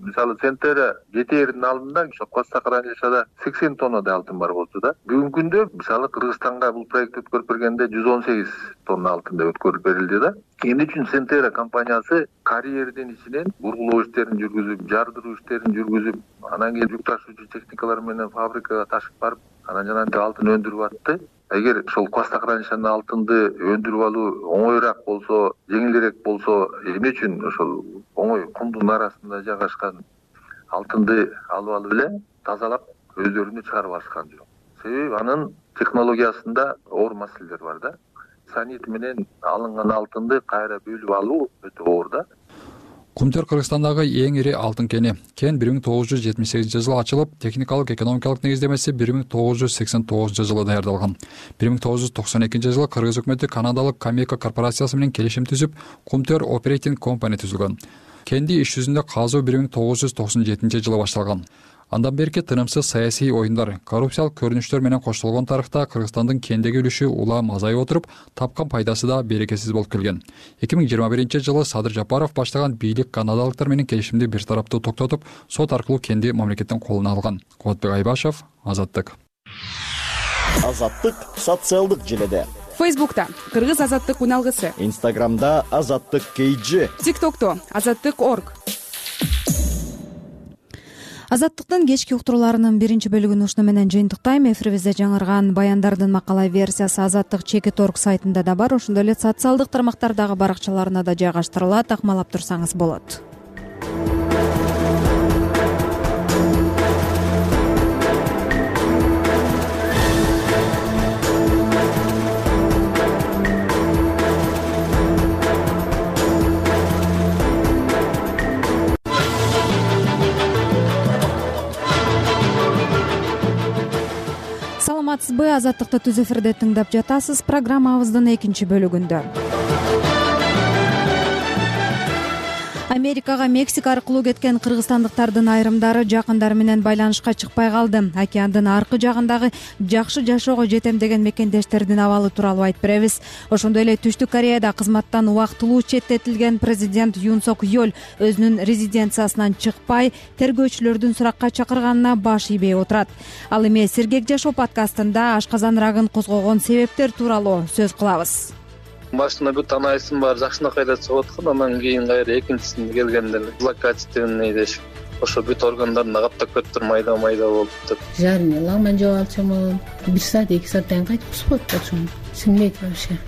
Мисалы Центера жетээрдин алдында ошо Коста хранилищада сексен тоннадай алтын бар болчу да. Бүгүнкү күндө мисалы Кыргызстанга бул проект өткөрүп бергенде жүз он сегиз тонна алтын деп өткөрүп берилди да. Эмне үчүн Центера компаниясы карьердин ичинен бургулоо иштерин жүргүзүп, жардыруу иштерин жүргүзүп, анан кийин жүк ташуучу техникалар менен фабрикага ташып барып, анан жанагынтип алтын өндүрүп атты. Эгер ошол Коста хранилищанын алтынды өндүрүп алуу оңоюраак болсо, жеңилирээк болсо, эмне үчүн ошол оңой кумдун арасында жайгашкан алтынды алып алып эле тазалап өздөрүнө чыгарып алышкан жок. Себеби анын технологиясында оор маселелер бар да. Санит менен алынган алтынды кайра бөлүп алуу өтө оор да. Кумтөр Кыргызстандагы эң ири алтын кени. Кен бир миң тогуз жүз жетимиш сегизинчи жылы ачылып, техникалык экономикалык негиздемеси бир миң тогуз жүз сексен тогузунчу жылы даярдалган. бир миң тогуз жүз токсон экинчи жылы Кыргыз өкмөтү канадалык Камека корпорациясы менен келишим түзүп, Кумтөр Operating Company түзүлгөн. Кенди иш жүзүндө казуу бир миң тогуз жүз токсон жетинчи жылы башталган. Андан берки тынымсыз саясий оюндар, коррупциялык көрүнүштөр менен коштолгон тарыхта Кыргызстандын кендеги үлүшү улам азайып отуруп, тапкан пайдасы да берекесиз болуп келген. эки миң жыйырма биринчи жылы Садыр Жапаров баштаган бийлик канадалыктар менен келишимди бир тараптуу токтотуп, сот аркылуу кенди мамлекеттин колуна алган. Кубатбек Айбашев, Азаттык. Азаттык социалдык желеде. Фейсбукта Кыргыз азаттык уналгысы. Инстаграмда Азаттык кей джи. ТикТокто Азаттык точка орг. Азаттыктын кечки уктурууларынын биринчи бөлүгүн ушуну менен жыйынтыктайм. Эфирибизде жаңырган баяндардын макала версиясы Азаттык чекит орг сайтында да бар. Ошондой эле социалдык тармактардагы баракчаларына да жайгаштырылат. Акмалап турсаңыз болот. Саламатсызбы? Азаттыкты түз эфирде тыңдап жатасыз. Программабыздын экинчи бөлүгүндө Америкага Мексика аркылуу кеткен кыргызстандыктардын айрымдары жакындары менен байланышка чыкпай калды. Океандын аркы жагындагы жакшы жашоого жетем деген мекендештердин абалы тууралуу айтып беребиз. Ошондой эле Түштүк Кореяда кызматтан убактылуу четтетилген президент Юн Сок Йол өзүнүн резиденциясынан чыкпай, тергөөчүлөрдүн суракка чакырганына баш ийбей отурат. Ал эми Сергек жашоо подкастында ашказан рагын козгогон себептер тууралуу сөз кылабыз. Башында бүт анализим бар, жакшынакай эле чыгып аткан, анан кийин кайра экинчисинде келгенде злокачественный дешип, ошо бүт органдарында каптап кетиптир, майда майда болуптур. Жарым лагман жеп алчумун, бир саат эки сааттан кайтып кусуп атышым. Сиңбейт вообще.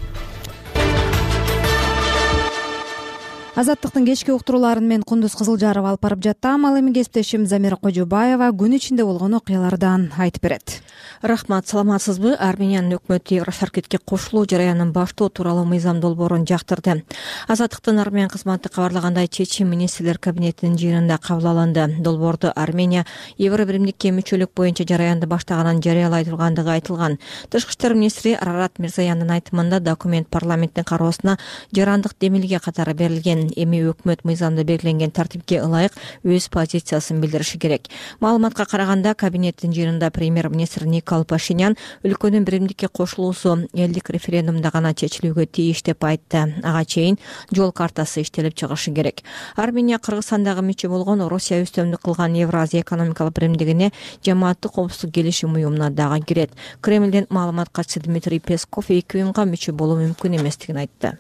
Азаттыктын кечки уктурууларын мен Кундуз Кызылжарова алып барып жаттым. Ал эми кесиптешим Замира Кожобаева күн ичинде болгон окуялардан айтып берет. Рахмат, саламатсызбы? Армениянын өкмөтү Евросаркетке кошулуу жараянын баштоо тууралуу мыйзам долбоорун жактырды. Азаттыктын Армения кызматы кабарлагандай, чечим министрлер кабинетинин жыйынында кабыл алынды. Долбоорду Армения Евро биримдикке мүчөлүк боюнча жараянды баштаганын жарыялай тургандыгы айтылган. Тышкы иштер министри Арарат Мирзаяндын айтымында документ парламенттин кароосуна жарандык демилге катары берилген. Эми өкмөт мыйзамда белгиленген тартипке ылайык өз позициясын билдириши керек. Маалыматка караганда, кабинеттин жыйынында премьер-министр Никол Пашинян өлкөнүн биримдикке кошулуусу элдик референдумда гана чечилүүгө тийиш деп айтты. Ага чейин жол картасы иштелип чыгышы керек. Армения Кыргызстандагы мүчө болгон Россия үстөмдүк кылган Евразия экономикалык биримдигине жамааттык коопсуздук келишим уюмуна дагы кирет. Кремлдин маалымат катчысы Дмитрий Песков эки уюмга мүчө болуу мүмкүн эместигин айтты.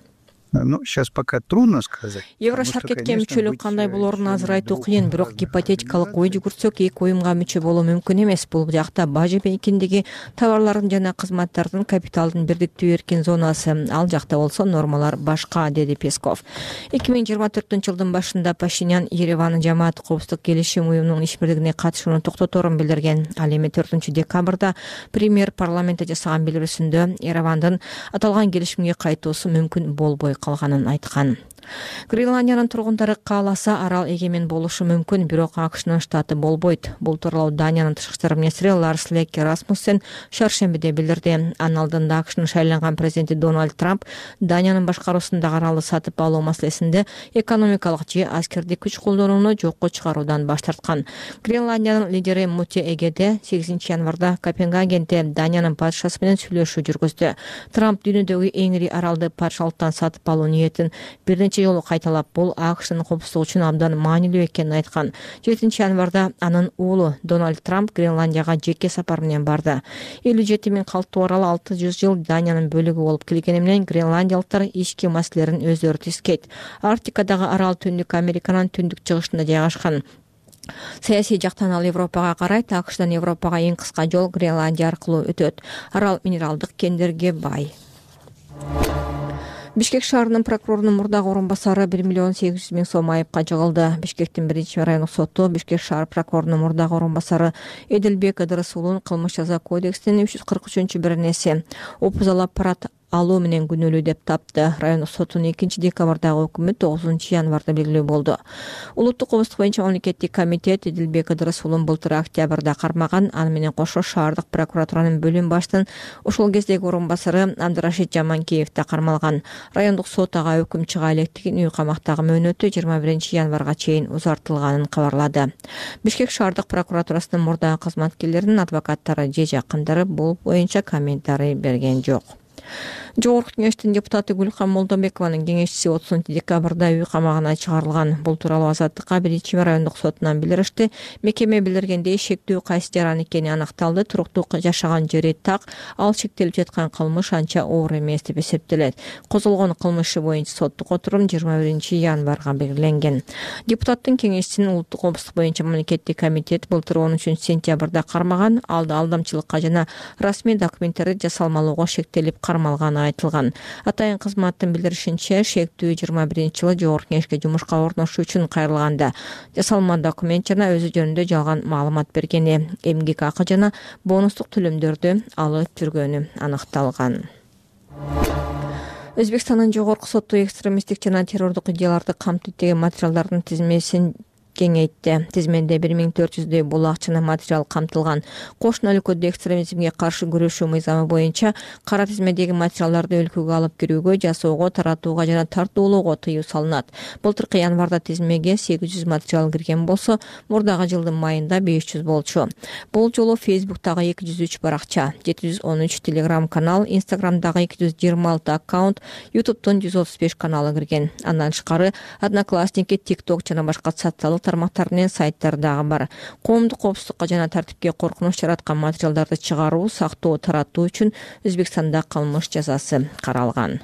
Ну, сейчас пока трудно сказать. Еврошаркетке мүчөлүк кандай болоорун азыр айтуу кыйын, бирок гипотетикалык ой жүгүртсөк, эки уюмга мүчө болуу мүмкүн эмес. Бул жакта бажы пекиндеги товарлардын жана кызматтардын капиталдын бирдиктүү эркин зонасы. Ал жакта болсо нормалар башка, деди Песков. эки миң жыйырма төртүнчү жылдын башында Пашинян Еревандын жамааттык коопсуздук келишим уюмунун ишбирдигине катышууну токтоторун билдирген. Ал эми төртүнчү декабрда премьер парламентте жасаган билдирүүсүндө Еревандын аталган келишимге кайтуусу мүмкүн болбой калганын айткан. Гренландиянын тургундары кааласа арал эгемен болушу мүмкүн, бирок АКШнын штаты болбойт. Бул тууралуу Даниянын тышкы иштер министри Ларс Леке Расмуссен шаршембиде билдирди. Анын алдында АКШнын шайланган президенти Дональд Трамп Даниянын башкаруусундагы аралды сатып алуу маселесинде экономикалык же аскердик күч колдонууну жокко чыгаруудан баш тарткан. Гренландиянын лидери Муте Эгеде сегизинчи январда Копенгагенде Даниянын падышасы менен сүйлөшүү жүргүздү. Трамп дүйнөдөгү эң ири аралды падышалыктан сатып алуу ниетин бирнече жолу кайталап, бул АКШнын коопсуздугу үчүн абдан маанилүү экенин айткан. жетинчи январда анын уулу Дональд Трамп Гренландияга жеке сапар менен барды. элүү жети миң калктуу арал алты жүз жыл Даниянын бөлүгү болуп келгени менен гренландиялыктар ички маселелерин өздөрү тискейт. Арктикадагы арал Түндүк Американын түндүк чыгышында жайгашкан. Саясий жактан ал Европага карайт. АКШдан Европага эң кыска жол Гренландия аркылуу өтөт. Арал минералдык кендерге бай. Бишкек шаарынын прокурорунун мурдагы орун басары бир миллион сегиз жүз миң сом айыпка жыгылды. Бишкектин биринчи райондук соту Бишкек шаар прокурорунун мурдагы орун басары Эдилбек Ыдырыс уулун кылмыш жаза кодексинин үч жүз кырк үчүнчү беренеси опузалап парат алуу менен күнөөлүү деп тапты. Райондук сотунун экинчи декабрдагы өкүмү тогузунчу январда белгилүү болду. Улуттук коопсуздук боюнча мамлекеттик комитет Эдилбек Ыдырыс уулун былтыр октябрда кармаган. Аны менен кошо шаардык прокуратуранын бөлүм башчынын ошол кездеги орун басары Абдырашид Жаманкеев да кармалган. Райондук сот ага өкүм чыга электигин үй камактагы мөөнөтү жыйырма биринчи январга чейин узартылганын кабарлады. Бишкек шаардык прокуратурасынын мурдагы кызматкерлеринин адвокаттары же жакындары бул боюнча комментарий берген жок. Жогорку кеңештин депутаты Гүлкан Молдобекованын кеңешчиси отузунчу декабрда үй камагына чыгарылган. Бул тууралуу Азаттыкка биринчи райондук сотунан билдиришти. Мекеме билдиргендей, шектүү кайсы жаран экени аныкталды. Туруктук жашаган жери так, ал шектелип жаткан кылмыш анча оор эмес деп эсептелет. Козголгон кылмышы боюнча соттук отурум жыйырма биринчи январга белгиленген. Депутаттын кеңешчисин улуттук коопсуздук боюнча мамлекеттик комитет былтыр он үчүнчү сентябрда кармаган. Алда алдамчылыкка жана расмий документтерди жасалмалоого шектелип кармалганы айтылган. Атайын кызматтын билдиришинче, шектүү жыйырма биринчи жылы жогорку кеңешке жумушка орношуу үчүн кайрылганда жасалма документ жана өзү жөнүндө жалган маалымат бергени, эмгек акы жана бонустук төлөмдөрдү алып жүргөнү аныкталган. Өзбекстандын жогорку соту экстремисттик жана террордук идеяларды камтыйт деген материалдардын тизмесин кеңейтти. Тизменде бир миң төрт жүздөй булак жана материал камтылган. Кошуна өлкөдө экстремизмге каршы күрөшүү мыйзамы боюнча кара тизмедеги материалдарды өлкөгө алып кирүүгө, жасоого, таратууга жана тартуулоого тыюу салынат. Былтыркы январда тизмеге сегиз жүз материал кирген болсо, мурдагы жылдын майында беш жүз болчу. Бул жолу Facebook'тагы эки жүз үч баракча, жети жүз он үч Telegram канал, Instagram'дагы эки жүз жыйырма алты аккаунт, YouTube'тон жүз отуз беш каналы кирген. Андан тышкары Одноклассники, TikTok жана башка социалдык тармактар менен сайттар дагы бар. Коомдук коопсуздукка жана тартипке коркунуч жараткан материалдарды чыгаруу, сактоо, таратуу үчүн Өзбекстанда кылмыш жазасы каралган.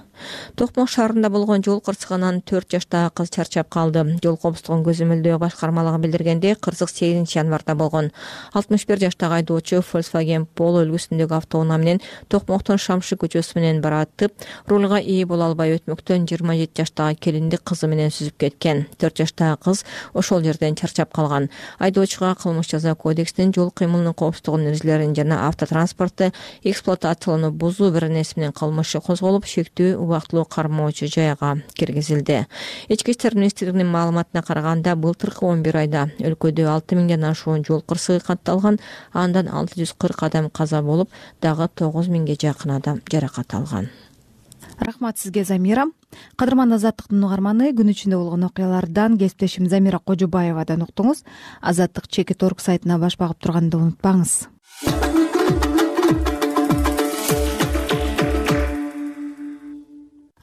Токмок шаарында болгон жол кырсыгынан төрт жаштагы кыз чарчап калды. Жол коопсуздугун көзөмөлдөө башкармалыгы билдиргенде, кырсык сегизинчи январда болгон. алтымыш бир жаштагы айдоочу Volkswagen Polo үлгүсүндөгү автоунаа менен Токмоктун Шамшы көчөсү менен баратып, рулга ээ боло албай өтмөктөн жыйырма жети жаштагы келинди кызы менен сүзүп кеткен. төрт жаштагы кыз ошол жерден чарчап калган. Айдоочуга кылмыш жаза кодексинин жол кыймылынын коопсуздугунун эрежелерин жана автотранспортты эксплуатациялоону бузуу беренеси менен кылмышы козголуп, шектүү убактылуу кармоочу жайга киргизилди. Ички иштер министрлигинин маалыматына караганда, былтыркы он бир айда өлкөдө алты миңден ашуун жол кырсыгы катталган, андан алты жүз кырк адам каза болуп, дагы тогуз миңге жакын адам жаракат алган. Рахмат сизге, Замира. Кадырман Азаттыктын угарманы, күн ичинде болгон окуялардан кесиптешим Замира Кожобаевадан уктуңуз. Азаттык чекит орг сайтына баш багып турганды унутпаңыз.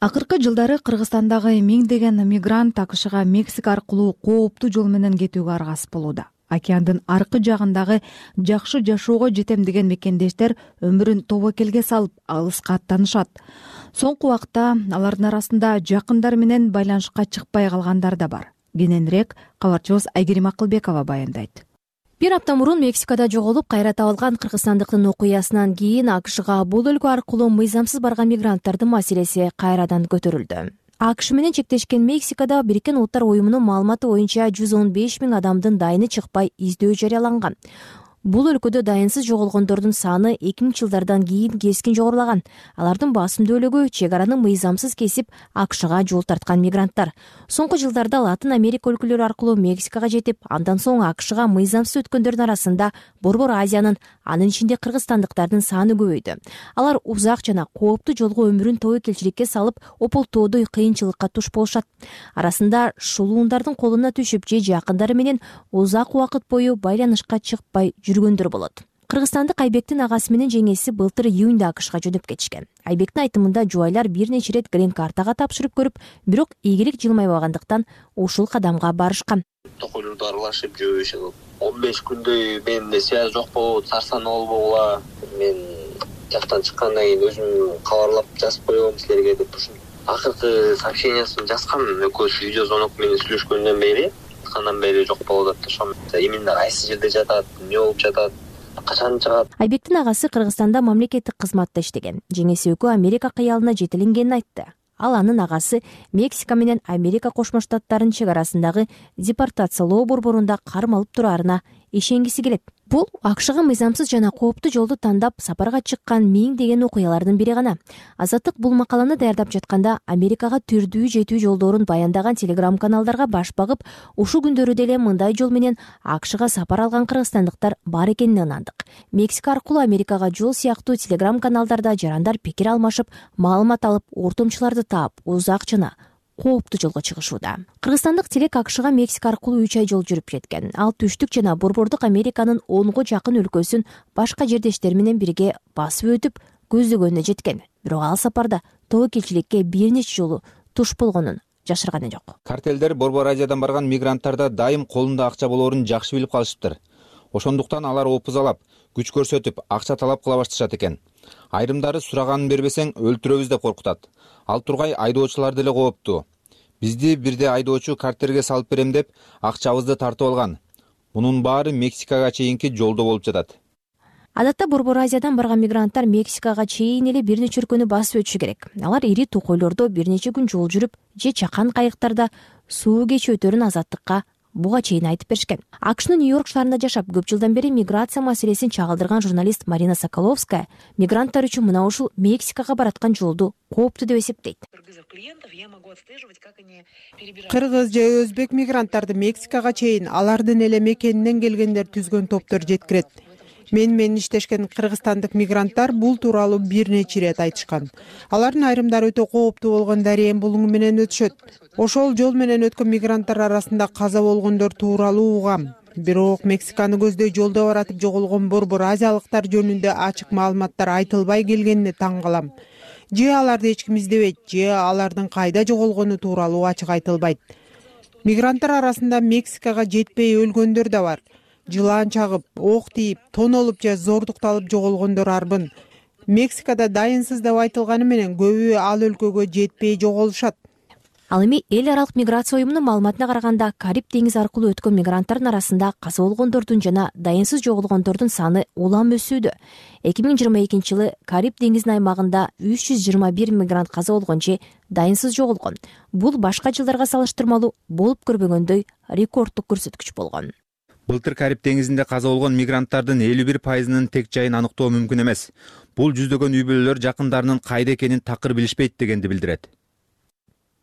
Акыркы жылдары Кыргызстандагы миңдеген мигрант АКШга Мексика аркылуу кооптуу жол менен кетүүгө аргасыз болууда. Океандын аркы жагындагы жакшы жашоого жетем деген мекендештер өмүрүн тобокелге салып, алыска аттанышат. Соңку убакта алардын арасында жакындар менен байланышка чыкпай калгандар да бар. Кененирээк кабарчыбыз Айгерим Акылбекова баяндайт. Бир апта мурун Мексикада жоголуп кайра табылган кыргызстандыктын окуясынан кийин АКШга бул өлкө аркылуу мыйзамсыз барган мигранттардын маселеси кайрадан көтөрүлдү. АКШ менен чектешкен Мексикада Бириккен Улуттар уюмунун маалыматы боюнча жүз он беш миң адамдын дайыны чыкпай издөө жарыяланган. Бул өлкөдө дайынсыз жоголгондордун саны эки миңинчи жылдардан кийин кескин жогорулаган. Алардын басымдуулугу чек араны мыйзамсыз кесип АКШга жол тарткан мигранттар. Соңку жылдарда Латын Америка өлкөлөрү аркылуу Мексикага жетип, андан соң АКШга мыйзамсыз өткөндөрдүн арасында Борбор Азиянын, анын ичинде кыргызстандыктардын саны көбөйдү. Алар узак жана кооптуу жолго өмүрүн тобокелчиликке салып, ополтоодой кыйынчылыкка туш болушат. Арасында шулуундардын колуна түшүп, же жакындары менен узак убакыт бою байланышка чыкпай жүргөндөр болот. Кыргызстандык Айбектин агасы менен жеңеси былтыр июнда АКШга жөнөп кетишкен. Айбектин айтымында жубайлар бир нече ирет грин картага тапшырып көрүп, бирок ийгилик жылмайбагандыктан ушул кадамга барышкан. Токойлорду аралашып жүрүшүп, он беш күндөй менде связь жок болуп, сарсанаа болбогула. Мен жактан чыккандан кийин өзүм кабарлап жазып койгом силерге деп ушун. Акыркы сообщениясын жазган экөөбүз видео звонок менен сүйлөшкөндөн бери, андан бери жок болуп атат. Ошо именно кайсы жерде жатат, эмне болуп жатат, качан чыгат. Айбектин агасы Кыргызстанда мамлекеттик кызматта иштеген. Жеңеси экөө Америка кыялына жетелингенин айтты. Ал анын агасы Мексика менен Америка Кошмо Штаттарынын чек арасындагы депортациялоо борборунда кармалып тураарына ишенгиси келет. Бул АКШга мыйзамсыз жана кооптуу жолду тандап сапарга чыккан миңдеген окуялардын бири гана. Азаттык бул макаланы даярдап жатканда Америкага түрдүү жетүү жолдорун баяндаган телеграм каналдарга баш багып, ушул күндөрү деле мындай жол менен АКШга сапар алган кыргызстандыктар бар экенине ынандык. Мексика аркылуу Америкага жол сыяктуу телеграм каналдарда жарандар пикир алмашып, маалымат алып, ортомчуларды таап, узак жана кооптуу жолго чыгышууда. Кыргызстандык телек АКШга Мексика аркылуу үч ай жол жүрүп жеткен. Ал түштүк жана борбордук Американын онго жакын өлкөсүн башка жердештери менен бирге басып өтүп көздөгөнүнө жеткен. Бирок ал сапарда тобокелчиликке бир нече жолу туш болгонун жашырганы жок. Картелдер Борбор Азиядан барган мигранттарда дайым колунда акча болоорун жакшы билип калышыптыр. Ошондуктан алар опузалап, күч көрсөтүп, акча талап кыла башташат экен. Айрымдары сураганын бербесең өлтүрөбүз деп коркутат. Ал тургай айдоочулар деле кооптуу. Бизди бирде айдоочу картерге салып берем деп акчабызды тартып алган. Мунун баары Мексикага чейинки жолдо болуп жатат. Адатта Борбор Азиядан барган мигранттар Мексикага чейин эле бир нече өлкөнү басып өтүшү керек. Алар ири токойлордо бир нече күн жол жүрүп, же чакан кайыктарда суу кечип өтөрүн азаттыкка буга чейин айтып беришкен. АКШнын Нью-Йорк шаарында жашап, көп жылдан бери миграция маселесин чагылдырган журналист Марина Соколовская мигранттар үчүн мына ушул Мексикага бараткан жолду кооптуу деп эсептейт. Кыргыз же өзбек мигранттарды Мексикага чейин алардын эле мекенинен келгендер түзгөн топтор жеткирет. Мен менен иштешкен кыргызстандык мигранттар бул тууралуу бир нече ирет айтышкан. Алардын айрымдары өтө кооптуу болгон дарыян булуңу менен өтүшөт. Ошол жол менен өткөн мигранттар арасында каза болгондор тууралуу угам. Бирок Мексиканы көздөй жолдо баратып жоголгон Борбор Азиялыктар жөнүндө ачык маалыматтар айтылбай келгенине таң калам. Же аларды эч ким издебейт, же алардын кайда жоголгону тууралуу ачык айтылбайт. Мигранттар арасында Мексикага жетпей өлгөндөр да бар. Жылаан чагып, ок тийип, тонолуп же зордукталып жоголгондор арбын. Мексикада дайынсыз деп айтылганы менен көбү ал өлкөгө жетпей жоголушат. Ал эми эл аралык миграция уюмунун маалыматына караганда, Кариб деңизи аркылуу өткөн мигранттардын арасында каза болгондордун жана дайынсыз жоголгондордун саны улам өсүүдө. эки миң жыйырма экинчи жылы Кариб деңизинин аймагында үч жүз жыйырма бир мигрант каза болгон же дайынсыз жоголгон. Бул башка жылдарга салыштырмалуу болуп көрбөгөндөй рекорддук көрсөткүч болгон. Былтыр Кариб деңизинде каза болгон мигранттардын элүү бир пайызынын тең жайын аныктоо мүмкүн эмес. Бул жүздөгөн үй бүлөлөр жакындарынын кайда экенин такыр билишпейт дегенди билдирет.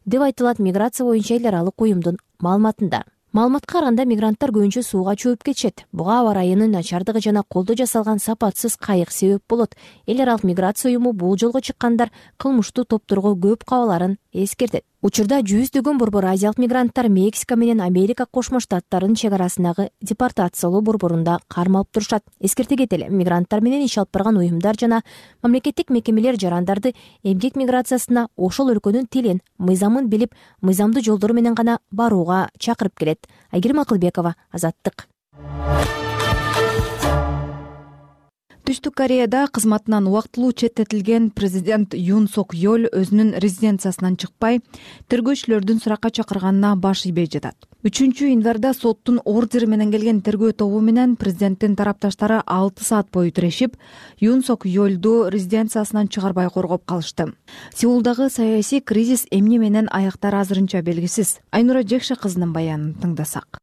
Деп айтылат миграция боюнча эл аралык уюмдун маалыматында. Маалыматка караганда мигранттар көбүнчө сууга чөбүп кетишет. Буга аба райынын начардыгы жана колдо жасалган сапатсыз кайык себеп болот. Эл аралык миграция уюму бул жолго чыккандар кылмыштуу топторго көп кабаларын эскертет. Учурда жүздөгөн Борбор Азиялык мигранттар Мексика менен Америка Кошмо Штаттарынын чек арасындагы депортациялоо борборунда кармалып турушат. Эскерте кетели, мигранттар менен иш алып барган уюмдар жана мамлекеттик мекемелер жарандарды эмгек миграциясына ошол өлкөнүн тилин, мыйзамын билип, мыйзамдуу жолдор менен гана барууга чакырып келет. Айгерим Акылбекова, Азаттык. Түштүк Кореяда кызматынан убактылуу четтетилген президент Юн Сок Йол өзүнүн резиденциясынан чыкпай, тергөөчүлөрдүн суракка чакырганына баш ийбей жатат. үчүнчү январда соттун ордери менен келген тергөө тобу менен президенттин тарапташтары алты саат бою тирешип, Юн Сок Йолду резиденциясынан чыгарбай коргоп калышты. Сеулдагы саясий кризис эмне менен аяктары азырынча белгисиз. Айнура Жекше кызынын баянын тыңдасак.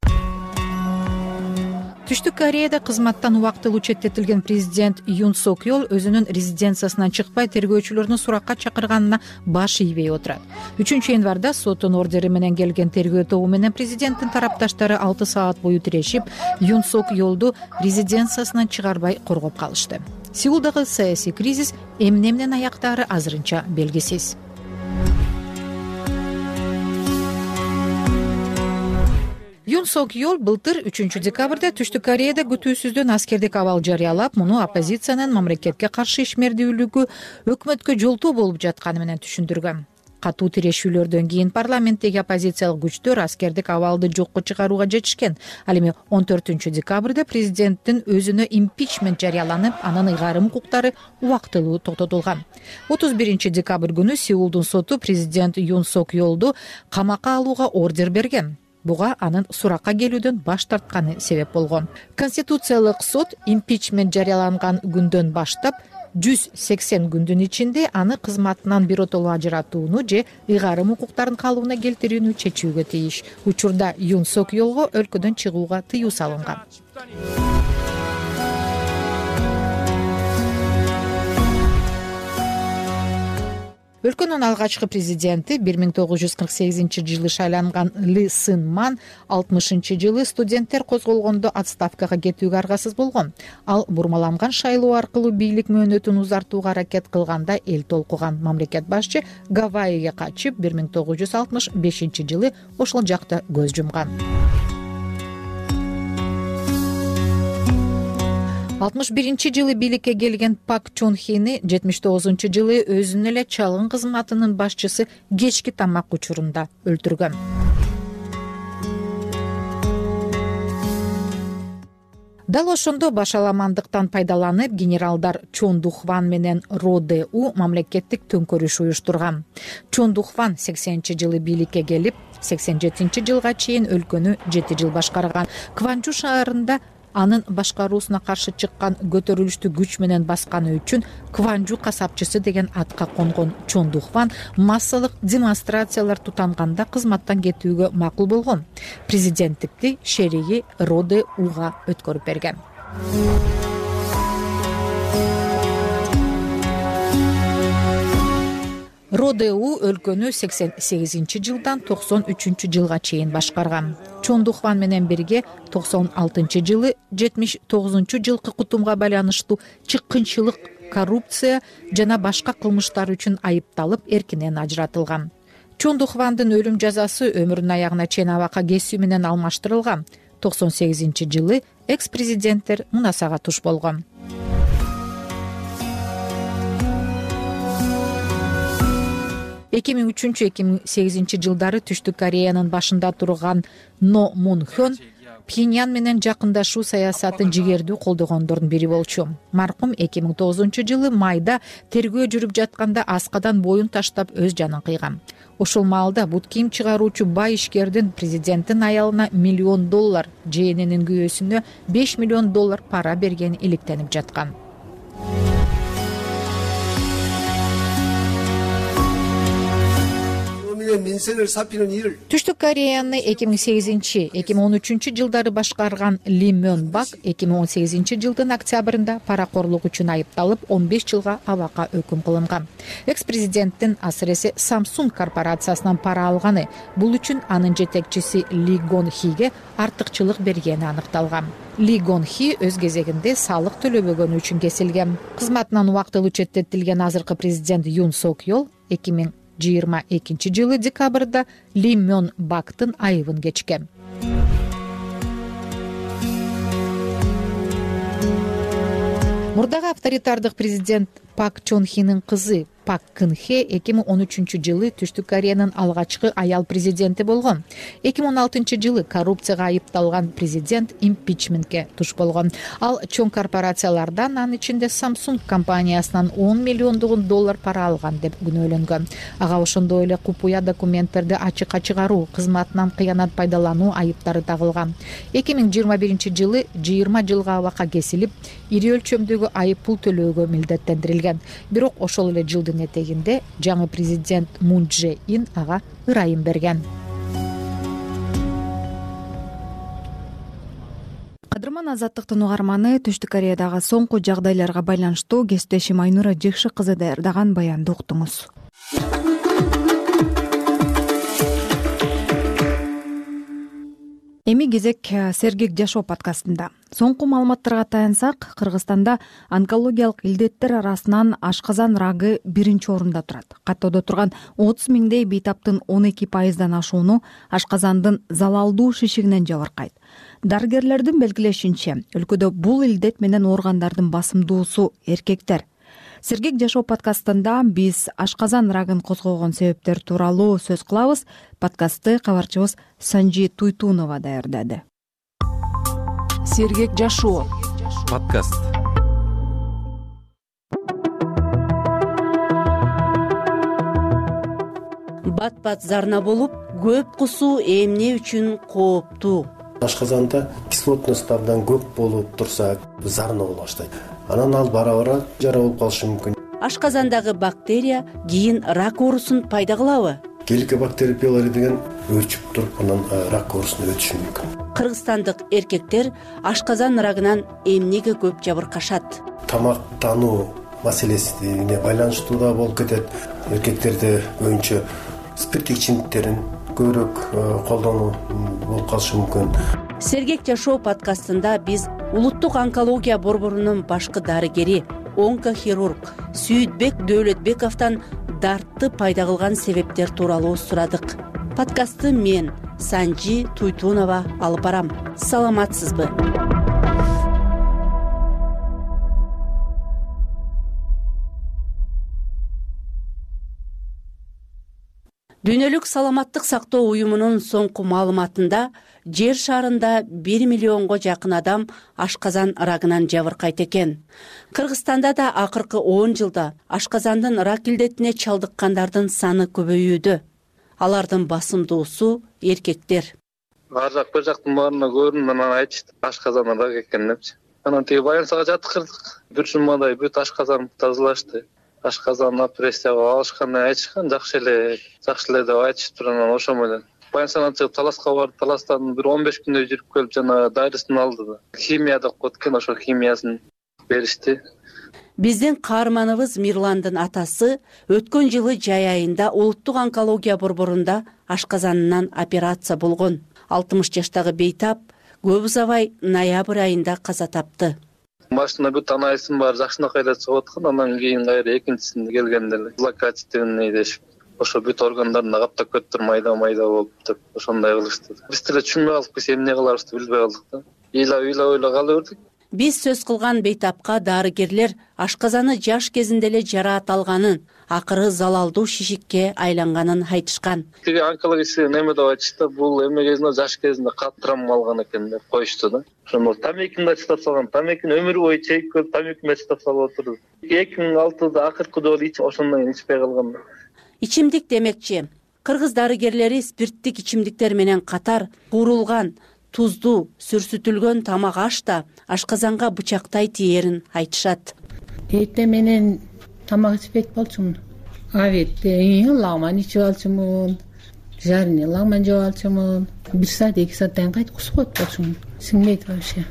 Түштүк Кореяда кызматтан убактылуу четтетилген президент Юн Сок Йол өзүнүн резиденциясынан чыкпай тергөөчүлөрдүн суракка чакырганына баш ийбей отурат. үчүнчү январда соттун ордери менен келген тергөө тобу менен президенттин тарапташтары алты саат бою тирешип, Юн Сок Йолду резиденциясынан чыгарбай коргоп калышты. Сеулдагы саясий кризис эмне менен аяктаары азырынча белгисиз. Юн Сок Йол былтыр үчүнчү декабрда Түштүк Кореяда күтүүсүздөн аскердик абал жарыялап, муну оппозициянын мамлекетке каршы ишмердүүлүгү өкмөткө жолтоо болуп жатканы менен түшүндүргөн. Катуу тирешүүлөрдөн кийин парламенттеги оппозициялык күчтөр аскердик абалды жокко чыгарууга жетишкен. Ал эми он төртүнчү декабрда президенттин өзүнө импичмент жарыяланып, анын ыйгарым укуктары убактылуу токтотулган. отуз биринчи декабрь күнү Сеулдун соту президент Юн Сок Йолду камакка алууга ордер берген. Буга анын суракка келүүдөн баш тартканы себеп болгон. Конституциялык сот импичмент жарыяланган күндөн баштап жүз сексен күндүн ичинде аны кызматынан биротолуу ажыратууну же ыйгарым укуктарын калыбына келтирүүнү чечүүгө тийиш. Учурда Юн Сок Йолго өлкөдөн чыгууга тыюу салынган. Өлкөнүн алгачкы президенти бир миң тогуз жүз кырк сегизинчи жылы шайланган Ли Сын Ман алтымышынчы жылы студенттер козголгондо отставкага кетүүгө аргасыз болгон. Ал бурмаланган шайлоо аркылуу бийлик мөөнөтүн узартууга аракет кылганда эл толкуган мамлекет башчы Гавайиге качып, бир миң тогуз жүз алтымыш бешинчи жылы ошол жакта көз жумган. алтымыш биринчи жылы бийликке келген Пак Чон Хени жетимиш тогузунчу жылы өзүнүн эле чалгын кызматынын башчысы кечки тамак учурунда өлтүргөн. Дал ошондо башаламандыктан пайдаланып генералдар Чон Духван менен Ро Де У мамлекеттик төңкөрүш уюштурган. Чон Духван сексенинчи жылы бийликке келип, сексен жетинчи жылга чейин өлкөнү жети жыл башкарган. Кванжу шаарында анын башкаруусуна каршы чыккан көтөрүлүштү күч менен басканы үчүн Кванжу касапчысы деген атка конгон Чон Духван массалык демонстрациялар тутанганда кызматтан кетүүгө макул болгон. Президенттикти шериги Ро Де Уга өткөрүп берген. Ро Де У өлкөнү сексен сегизинчи жылдан токсон үчүнчү жылга чейин башкарган. Чон Духван менен бирге токсон алтынчы жылы жетимиш тогузунчу жылкы кутумга байланыштуу чыккынчылык, коррупция жана башка кылмыштар үчүн айыпталып эркинен ажыратылган. Чон Духвандын өлүм жазасы өмүрүнүн аягына чейин абакка кесүү менен алмаштырылган. токсон сегизинчи жылы экс-президенттер мунасага туш болгон. эки миң үчүнчү эки миң сегизинчи жылдары Түштүк Кореянын башында турган Но Мун Хён Пхеньян менен жакындашуу саясатын жигердүү колдогондордун бири болчу. Маркум эки миң тогузунчу жылы майда тергөө жүрүп жатканда аскадан боюн таштап өз жанын кыйган. Ошол маалда бут кийим чыгаруучу бай ишкердин президенттин аялына миллион доллар, жээненин күйөөсүнө беш миллион доллар пара бергени иликтенип жаткан. Түштүк Кореяны эки миң сегизинчи эки миң он үчүнчү жылдары башкарган Ли Мён Бак эки миң он сегизинчи жылдын октябрында паракорлук үчүн айыпталып он беш жылга абакка өкүм кылынган. Экс-президенттин асыресе Samsung корпорациясынан пара алганы, бул үчүн анын жетекчиси Ли Гон Хиге артыкчылык бергени аныкталган. Ли Гон Хи өз кезегинде салык төлөбөгөнү үчүн кесилген. Кызматынан убактылуу четтетилген азыркы президент Юн Сок Йол эки миң жыйырма экинчи жылы декабрда Ли Мён Бактын айыбын кечкен. Мурдагы авторитардык президент Пак Чон Хинин кызы Пак Кын Хе эки миң он үчүнчү жылы Түштүк Кореянын алгачкы аял президенти болгон. эки миң он алтынчы жылы коррупцияга айыпталган президент импичментке туш болгон. Ал чоң корпорациялардан, анын ичинде Samsung компаниясынан он миллиондогон доллар пара алган деп күнөөлөнгөн. Ага ошондой эле купуя документтерди ачыкка чыгаруу, кызматынан кыянат пайдалануу айыптары тагылган. эки миң жыйырма биринчи жылы жыйырма жылга абакка кесилип, ири өлчөмдөгү айып пул төлөөгө милдеттендирилген. Бирок ошол эле жылдын этегинде жаңы президент Мун Дже Ин ага ырайым берген. Кадырман Азаттыктын угарманы Түштүк Кореядагы соңку жагдайларга байланыштуу кесиптешим Айнура Жекши кызы даярдаган баянды уктуңуз. Эми кезек Сергек жашоо подкастында. Соңку маалыматтарга таянсак, Кыргызстанда онкологиялык илдеттер арасынан ашказан рагы биринчи орунда турат. Каттоодо турган отуз миңдей бейтаптын он эки пайыздан ашууну ашказандын залалдуу шишигинен жабыркайт. Дарыгерлердин белгилешинче, өлкөдө бул илдет менен ооргандардын басымдуусу эркектер. Сергек жашоо подкастында биз ашказан рагын козгогон себептер тууралуу сөз кылабыз. Подкастты кабарчыбыз Санжи Туйтунова даярдады. Сергек жашоо подкаст. Бат-бат зарна болуп, көп кусуу эмне үчүн кооптуу? Ашказанда кислотность абдан көп болуп турса, зарна боло баштайт. Анан ал бара-бара жара болуп калышы мүмкүн. Ашказандагы бактерия кийин рак оорусун пайда кылабы? Геликобактер пилори деген өрчүп туруп, анан рак оорусуна өтүшү мүмкүн. Кыргызстандык эркектер ашказан рагынан эмнеге көп жабыркашат? Тамактануу маселесине байланыштуу да болуп кетет. Эркектерде көбүнчө спирттик ичимдиктерин көбүрөөк колдонуу болуп калышы мүмкүн. Сергек жашоо подкастында биз улуттук онкология борборунун башкы дарыгери, онкохирург Сүйүтбек Дөөлөтбековдон дартты пайда кылган себептер тууралуу сурадык. Подкастты мен, Санжи Туйтунова алып барам. Саламатсызбы? Дүйнөлүк саламаттык сактоо уюмунун соңку маалыматында жер шарында бир миллионго жакын адам ашказан рагынан жабыркайт экен. Кыргызстанда да акыркы он жылда ашказандын рак илдетине чалдыккандардын саны көбөйүүдө. Алардын басымдуусу эркектер. Ар жак бир жактын баарына көрдүм, анан айтышты ашказан рак экен депчи. Анан тиги больницага жаткырдык. Бир жумадай бүт ашказанды тазалашты. Ашказан операцияга алышканын айтышкан, жакшы эле, жакшы эле деп айтышыптыр. Анан ошо менен больницадан чыгып таласка барды. Таластан бир он беш күндөй жүрүп келип жана дарысын алды да. Химия деп коет экен, ошо химиясын беришти. Биздин каарманыбыз Мирландын атасы өткөн жылы жай айында улуттук онкология борборунда ашказанынан операция болгон. алтымыш жаштагы бейтап көп узабай ноябрь айында каза тапты. Машина бүт анализим бар, жакшынакай эле чыгып аткан. Андан кийин кайра экинчисинде келгенде эле злокачественный дешип, ошо бүт органдарына каптап кетиптир, майда-майда болуп деп ошондой кылышты. Биз деле түшүнбөй калдык, биз эмне кыларыбызды билбей калдык да. Ыйлап-ыйлап кала бердик. Биз сөз кылган бейтапка дарыгерлер ашказаны жаш кезинде эле жараат алганын, акыры залалдуу шишикке айланганын айтышкан. Тиги онкология неме деп айтышты, бул эме кезинде жаш кезинде катты травма алган экен деп коюшту да. Ошондо тамекини да чыгып салган, тамекини өмүр бою чегип келип тамекини чыгып салып отурду. эки миң алтыда акыркы жолу ичип, ошондон кийин ичпей калган. Ичимдик демекчи, кыргыз дарыгерлери спирттик ичимдиктер менен катар куурулган, туздуу, сүрсүтүлгөн тамак аш да ашказанга бычактай тиерин айтышат. Эрте менен тамак ичпейт болчумун. Абетте лагман ичип алчумун, жарыны лагман жеп алчумун. Бир саат, эки сааттан кайт кусуп коет болчумун. Сиңбейт вообще.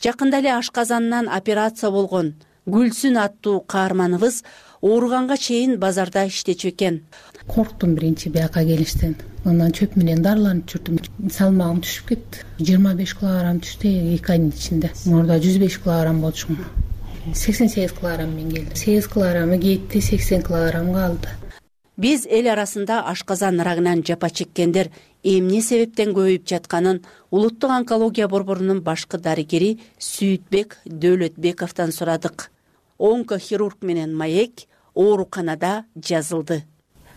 Жакында эле ашказанынан операция болгон Гүлсүн аттуу каарманыбыз ооруганга чейин базарда иштечү экен. Корктум биринчи бияка келиштен. Андан чөп менен дарыланып жүрдүм. Салмагым түшүп кетти. жыйырма беш килограмм түштү эки айдын ичинде. Мурда жүз беш килограмм болчумун. сексен сегиз килограмм мен келди. сегиз килограммы кетти, сексен килограмм калды. Биз эл арасында ашказан рагынан жапа чеккендер эмне себептен көбөйүп жатканын улуттук онкология борборунун башкы дарыгери Сүйүтбек Дөөлөтбековдон сурадык. Онкохирург менен маек ооруканада жазылды.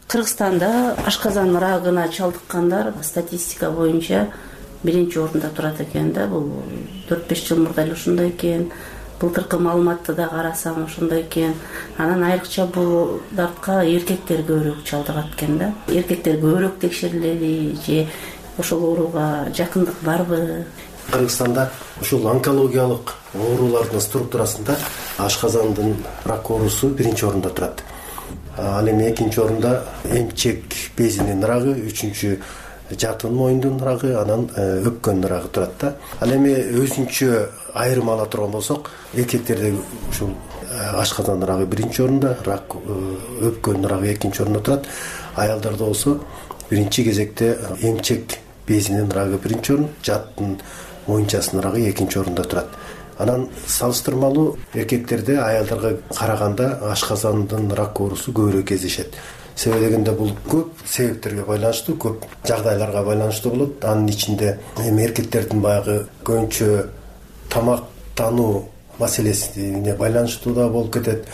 Кыргызстанда ашказан рагына чалдыккандар статистика боюнча биринчи орунда турат экен да. Бул төрт беш жыл мурда эле ушундай экен. Былтыркы маалыматты да карасам ошондой экен. Анан айрыкча бул дартка эркектер көбүрөөк чалдыгат экен да. Эркектер көбүрөөк текшерилели же ошол ооруга жакындык барбы? Кыргызстанда ушул онкологиялык оорулардын структурасында ашказандын рак оорусу биринчи орунда турат. Ал эми экинчи орунда эмчек безинин рагы, үчүнчү жатын моюндун рагы, анан өпкөнүн рагы турат да. Ал эми өзүнчө айрым ала турган болсок, эркектерде ушул ашказандын рагы биринчи орунда, рак өпкөнүн рагы экинчи орунда турат. Аялдарда болсо биринчи кезекте эмчек безинин рагы биринчи орун, жатын моюнчасынын рагы экинчи орунда турат. Анан салыштырмалуу эркектерде аялдарга караганда ашказандын рак оорусу көбүрөөк кездешет. Себеби дегенде бул көп себептерге байланыштуу, көп жагдайларга байланыштуу болот. Анын ичинде эми эркектердин баягы көбүнчө тамактануу маселесине байланыштуу да болуп кетет.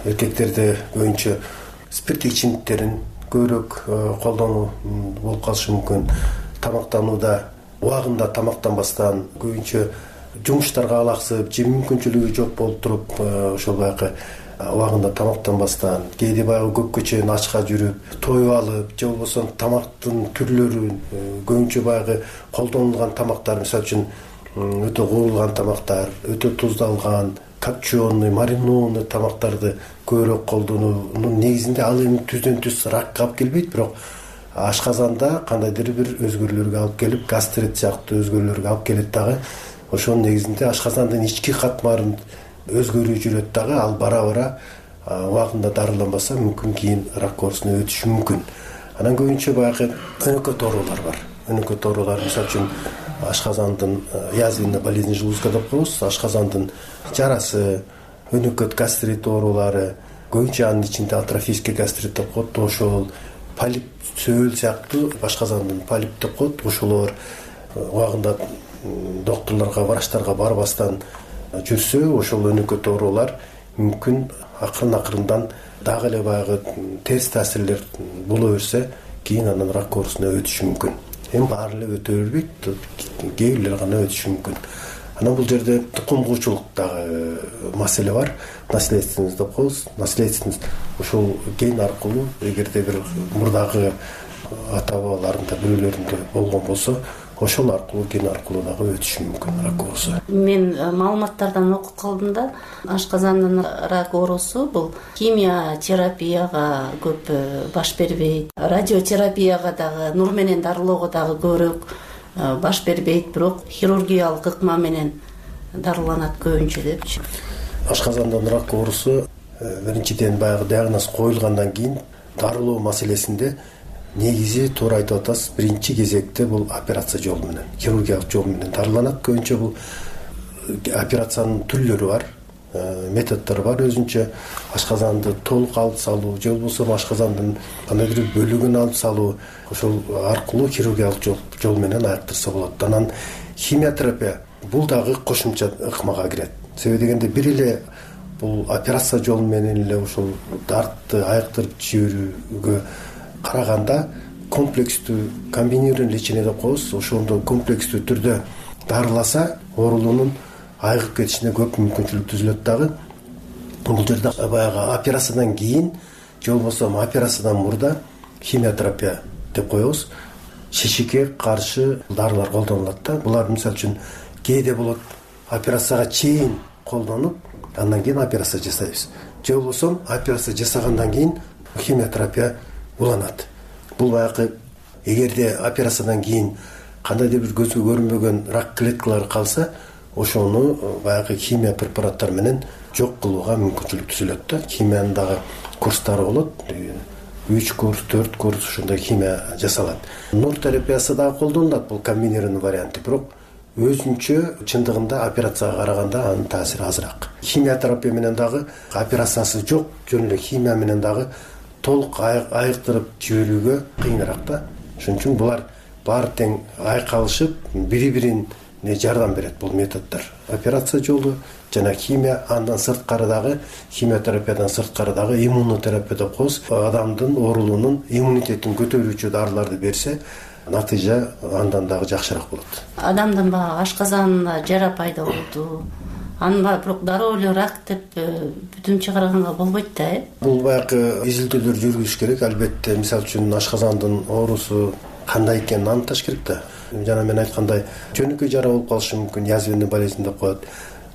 Эркектерде көбүнчө спирттик ичимдиктерин көбүрөөк колдонуу болуп калышы мүмкүн. Тамактанууда убагында тамактанбастан, көбүнчө жумуштарга алаксып, жем мүмкүнчүлүгү жок болуп туруп, ошол баягы убагында тамактанбастан, кээде баягы көпкө чейин ачка жүрүп, тоюп алып, же болбосо тамактын түрлөрүн көбүнчө баягы колдонулган тамактар, мисалы үчүн өтө куурулган тамактар, өтө туздалган, копченый, маринованный тамактарды көбүрөөк колдонуунун негизинде ал эми түздөн түз ракка алып келбейт, бирок ашказанда кандайдыр бир өзгөрүүлөргө алып келип, гастрит сыяктуу өзгөрүүлөргө алып келет дагы. Ошонун негизинде ашказандын ички катмарын өзгөрүү жүрөт дагы, ал бара-бара убагында дарыланбаса мүмкүн кийин рак оорусуна өтүшү мүмкүн. Анан көбүнчө баягы өнөкөт оорулар бар. Өнөкөт оорулар, мисалы үчүн ашказандын язвенная болезнь желудка деп коебуз, ашказандын жарасы, өнөкөт гастрит оорулары, көбүнчө анын ичинде атрофический гастрит деп коет, ошол полип сөөл сыяктуу ашказандын полип деп коет, ошолор убагында докторлорго, врачтарга барбастан жүрсө, ошол өнөкөт оорулар мүмкүн акырын акырындан дагы эле баягы терс таасирлер боло берсе, кийин анан рак оорусуна өтүшү мүмкүн. Эми баары эле өтө бербейт, кээ бирлер гана өтүшү мүмкүн. Анан бул жерде тукум куучулуктагы маселе бар. Наследственность деп коебуз. Наследственность ушул ген аркылуу эгерде бир мурдагы ата бабаларында бирөөлөрүндө болгон болсо, ошол аркылуу ген аркылуу дагы өтүшү мүмкүн рак оорусу. Мен маалыматтардан окуп калдым да, ашказандын рак оорусу бул химия терапияга көп баш бербейт, радиотерапияга дагы, нур менен дарылоого дагы көбүрөөк баш бербейт, бирок хирургиялык ыкма менен дарыланат көбүнчө депчи. Ашказандын рак оорусу биринчиден баягы диагноз коюлгандан кийин дарылоо маселесинде негизи туура айтып атасыз, биринчи кезекте бул операция жолу менен, хирургиялык жол менен дарыланат. Көбүнчө бул операциянын түрлөрү бар, методдору бар. Өзүнчө ашказанды толук алып салуу, же болбосо ашказандын кандайдыр бөлүгүн алып салуу, ошол аркылуу хирургиялык жол менен айыктырса болот. Анан химиотерапия бул дагы кошумча ыкмага кирет. Себеби дегенде бир эле бул операция жолу менен эле ушул дартты айыктырып жиберүүгө караганда комплекстүү комбинированный лечение деп коебуз. Ошондо комплекстүү түрдө дарыласа оорулуунун айыгып кетишине көп мүмкүнчүлүк түзүлөт дагы. Бул жерде баягы операциядан кийин же болбосо операциядан мурда химиотерапия деп коебуз. Шишикке каршы дарылар колдонулат да. Булар мисалы үчүн кээде болот операцияга чейин колдонуп, андан кийин операция жасайбыз. Же болбосо операция жасагандан кийин химиотерапия уланат. Бул баягы эгерде операциядан кийин кандайдыр бир көзгө көрүнбөгөн рак клеткалары калса, ошону баягы химия препараттар менен жок кылууга мүмкүнчүлүк түзүлөт да. Химиянын дагы курстары болот. үч курс, төрт курс ушундай химия жасалат. Нур терапиясы дагы колдонулат, бул комбинированный варианты, бирок өзүнчө чындыгында операцияга караганда анын таасири азыраак. Химиотерапия менен дагы операциясы жок, жөн эле химия менен дагы толук айыктырып жиберүүгө кыйыныраак да. Ошон үчүн булар баары тең айкалышып, бири-бирине жардам берет бул методдор. Операция жолу жана химия, андан сырткары дагы химиотерапиядан сырткары дагы иммунотерапия деп коебуз. Адамдын оорулуунун иммунитетин көтөрүүчү дарыларды берсе, натыйжа андан дагы жакшыраак болот. Адамдын баягы ашказанында жара пайда болду. Анын баягы бирок дароо эле рак деп бүтүн чыгарганга болбойт да, э? Бул баягы изилдөөлөр жүргүзүш керек. Албетте, мисалы үчүн ашказандын оорусу кандай экенин аныкташ керек да. Жана мен айткандай, жөнөкөй жара болуп калышы мүмкүн, язвенный болезнь деп коет.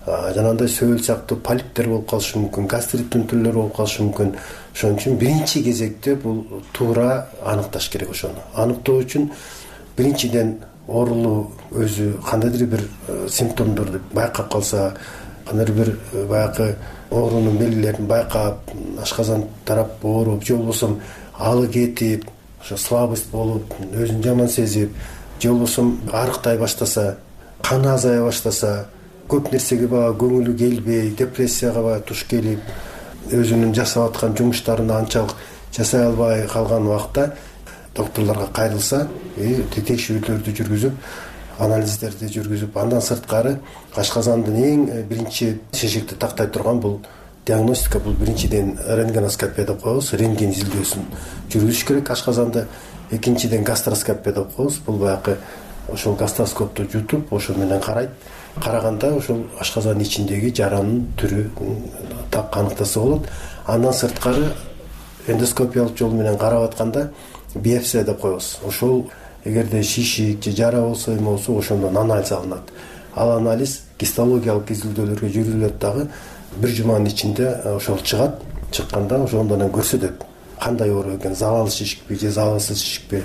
Жанагындай сөөл сыяктуу полиптер болуп калышы мүмкүн, гастриттин түрлөрү болуп калышы мүмкүн. Ошон үчүн биринчи кезекте бул туура аныкташ керек ошону. Аныктоо үчүн биринчиден оорулуу өзү кандайдыр бир симптомдорду байкап калса, кандайдыр бир баягы оорунун белгилерин байкап, ашказан тарап ооруп, же болбосо алы кетип, ошо слабость болуп, өзүн жаман сезип, же болбосо арыктай баштаса, каны азая баштаса, көп нерсеге баягы көңүлү келбей, депрессияга баягы туш келип, өзүнүн жасап аткан жумуштарын анчалык жасай албай калган убакта докторлорго кайрылса, текшерүүлөрдү жүргүзүп, анализдерди жүргүзүп, андан сырткары ашказандын эң биринчи шешекти тактай турган бул диагностика, бул биринчиден рентгеноскопия деп коебуз, рентген изилдөөсүн жүргүзүш керек ашказанды. Экинчиден гастроскопия деп коебуз, бул баягы ошол гастроскопту жутуп, ошол менен карайт. Караганда ошол ашказандын ичиндеги жаранын түрү так аныктаса болот. Андан сырткары эндоскопиялык жол менен карап атканда биопсия деп коебуз. Ошол эгерде шишик же жара болсо эме болсо, ошондон анализ алынат. Ал анализ гистологиялык изилдөөлөргө жүргүзүлөт дагы. Бир жуманын ичинде ошол чыгат. Чыкканда ошондон көрсөтөт кандай оору экен, залал шишикпи же залалсыз шишикпи.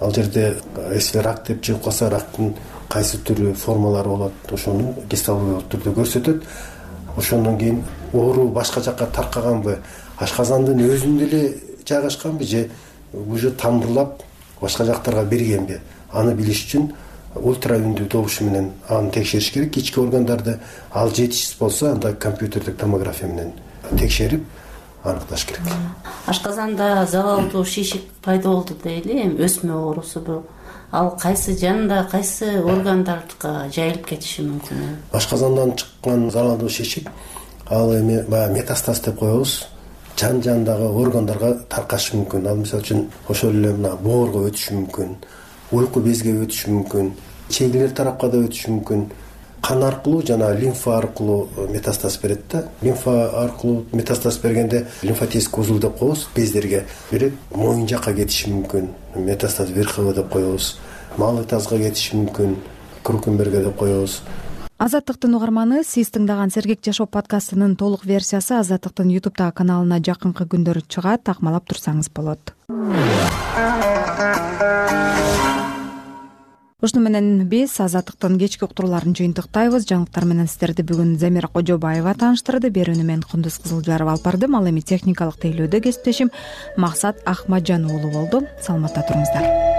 Ал жерде если рак деп чыгып калса, рактын кайсы түрү, формалары болот, ошону гистологиялык түрдө көрсөтөт. Ошондон кийин оору башка жакка таркаганбы, ашказандын өзүндө эле жайгашканбы же уже тамырлап башка жактарга бергенби, аны билиш үчүн ультра үндүү добушу менен аны текшериш керек. Ички органдарды ал жетишсиз болсо, анда компьютердик томография менен текшерип аныкташ керек. Ашказанда залалдуу шишик пайда болду дейли, эми өсмө оорусу бул. Ал кайсы жанда, кайсы органдарга жайылып кетиши мүмкүн? Ашказандан чыккан залалдуу шишик ал эми баягы метастаз деп коебуз. жан жандагы органдарга таркашы мүмкүн. Ал мисалы үчүн ошол эле мына боорго өтүшү мүмкүн, уйку безге өтүшү мүмкүн, чегилер тарапка да өтүшү мүмкүн. Кан аркылуу жана лимфа аркылуу метастаз берет да. Лимфа аркылуу метастаз бергенде лимфатический узул деп коебуз, бездерге берет. Моюн жакка кетиши мүмкүн, метастаз верхово деп коебуз. Малый тазга кетиши мүмкүн, крукенберге деп коебуз. Азаттыктын угарманы, сиз тыңдаган Сергек жашоо подкастынын толук версиясы Азаттыктын ютубтагы каналына жакынкы күндөр чыгат, такмалап турсаңыз болот. Ушуну менен биз Азаттыктын кечки уктурууларын жыйынтыктайбыз. Жаңылыктар менен сиздерди бүгүн Замира Кожобаева тааныштырды. Берүүнү мен Кундуз Кызылжарова алып бардым. Ал эми техникалык тейлөөдө кесиптешим Максат Ахмаджан уулу болду. Саламатта туруңуздар.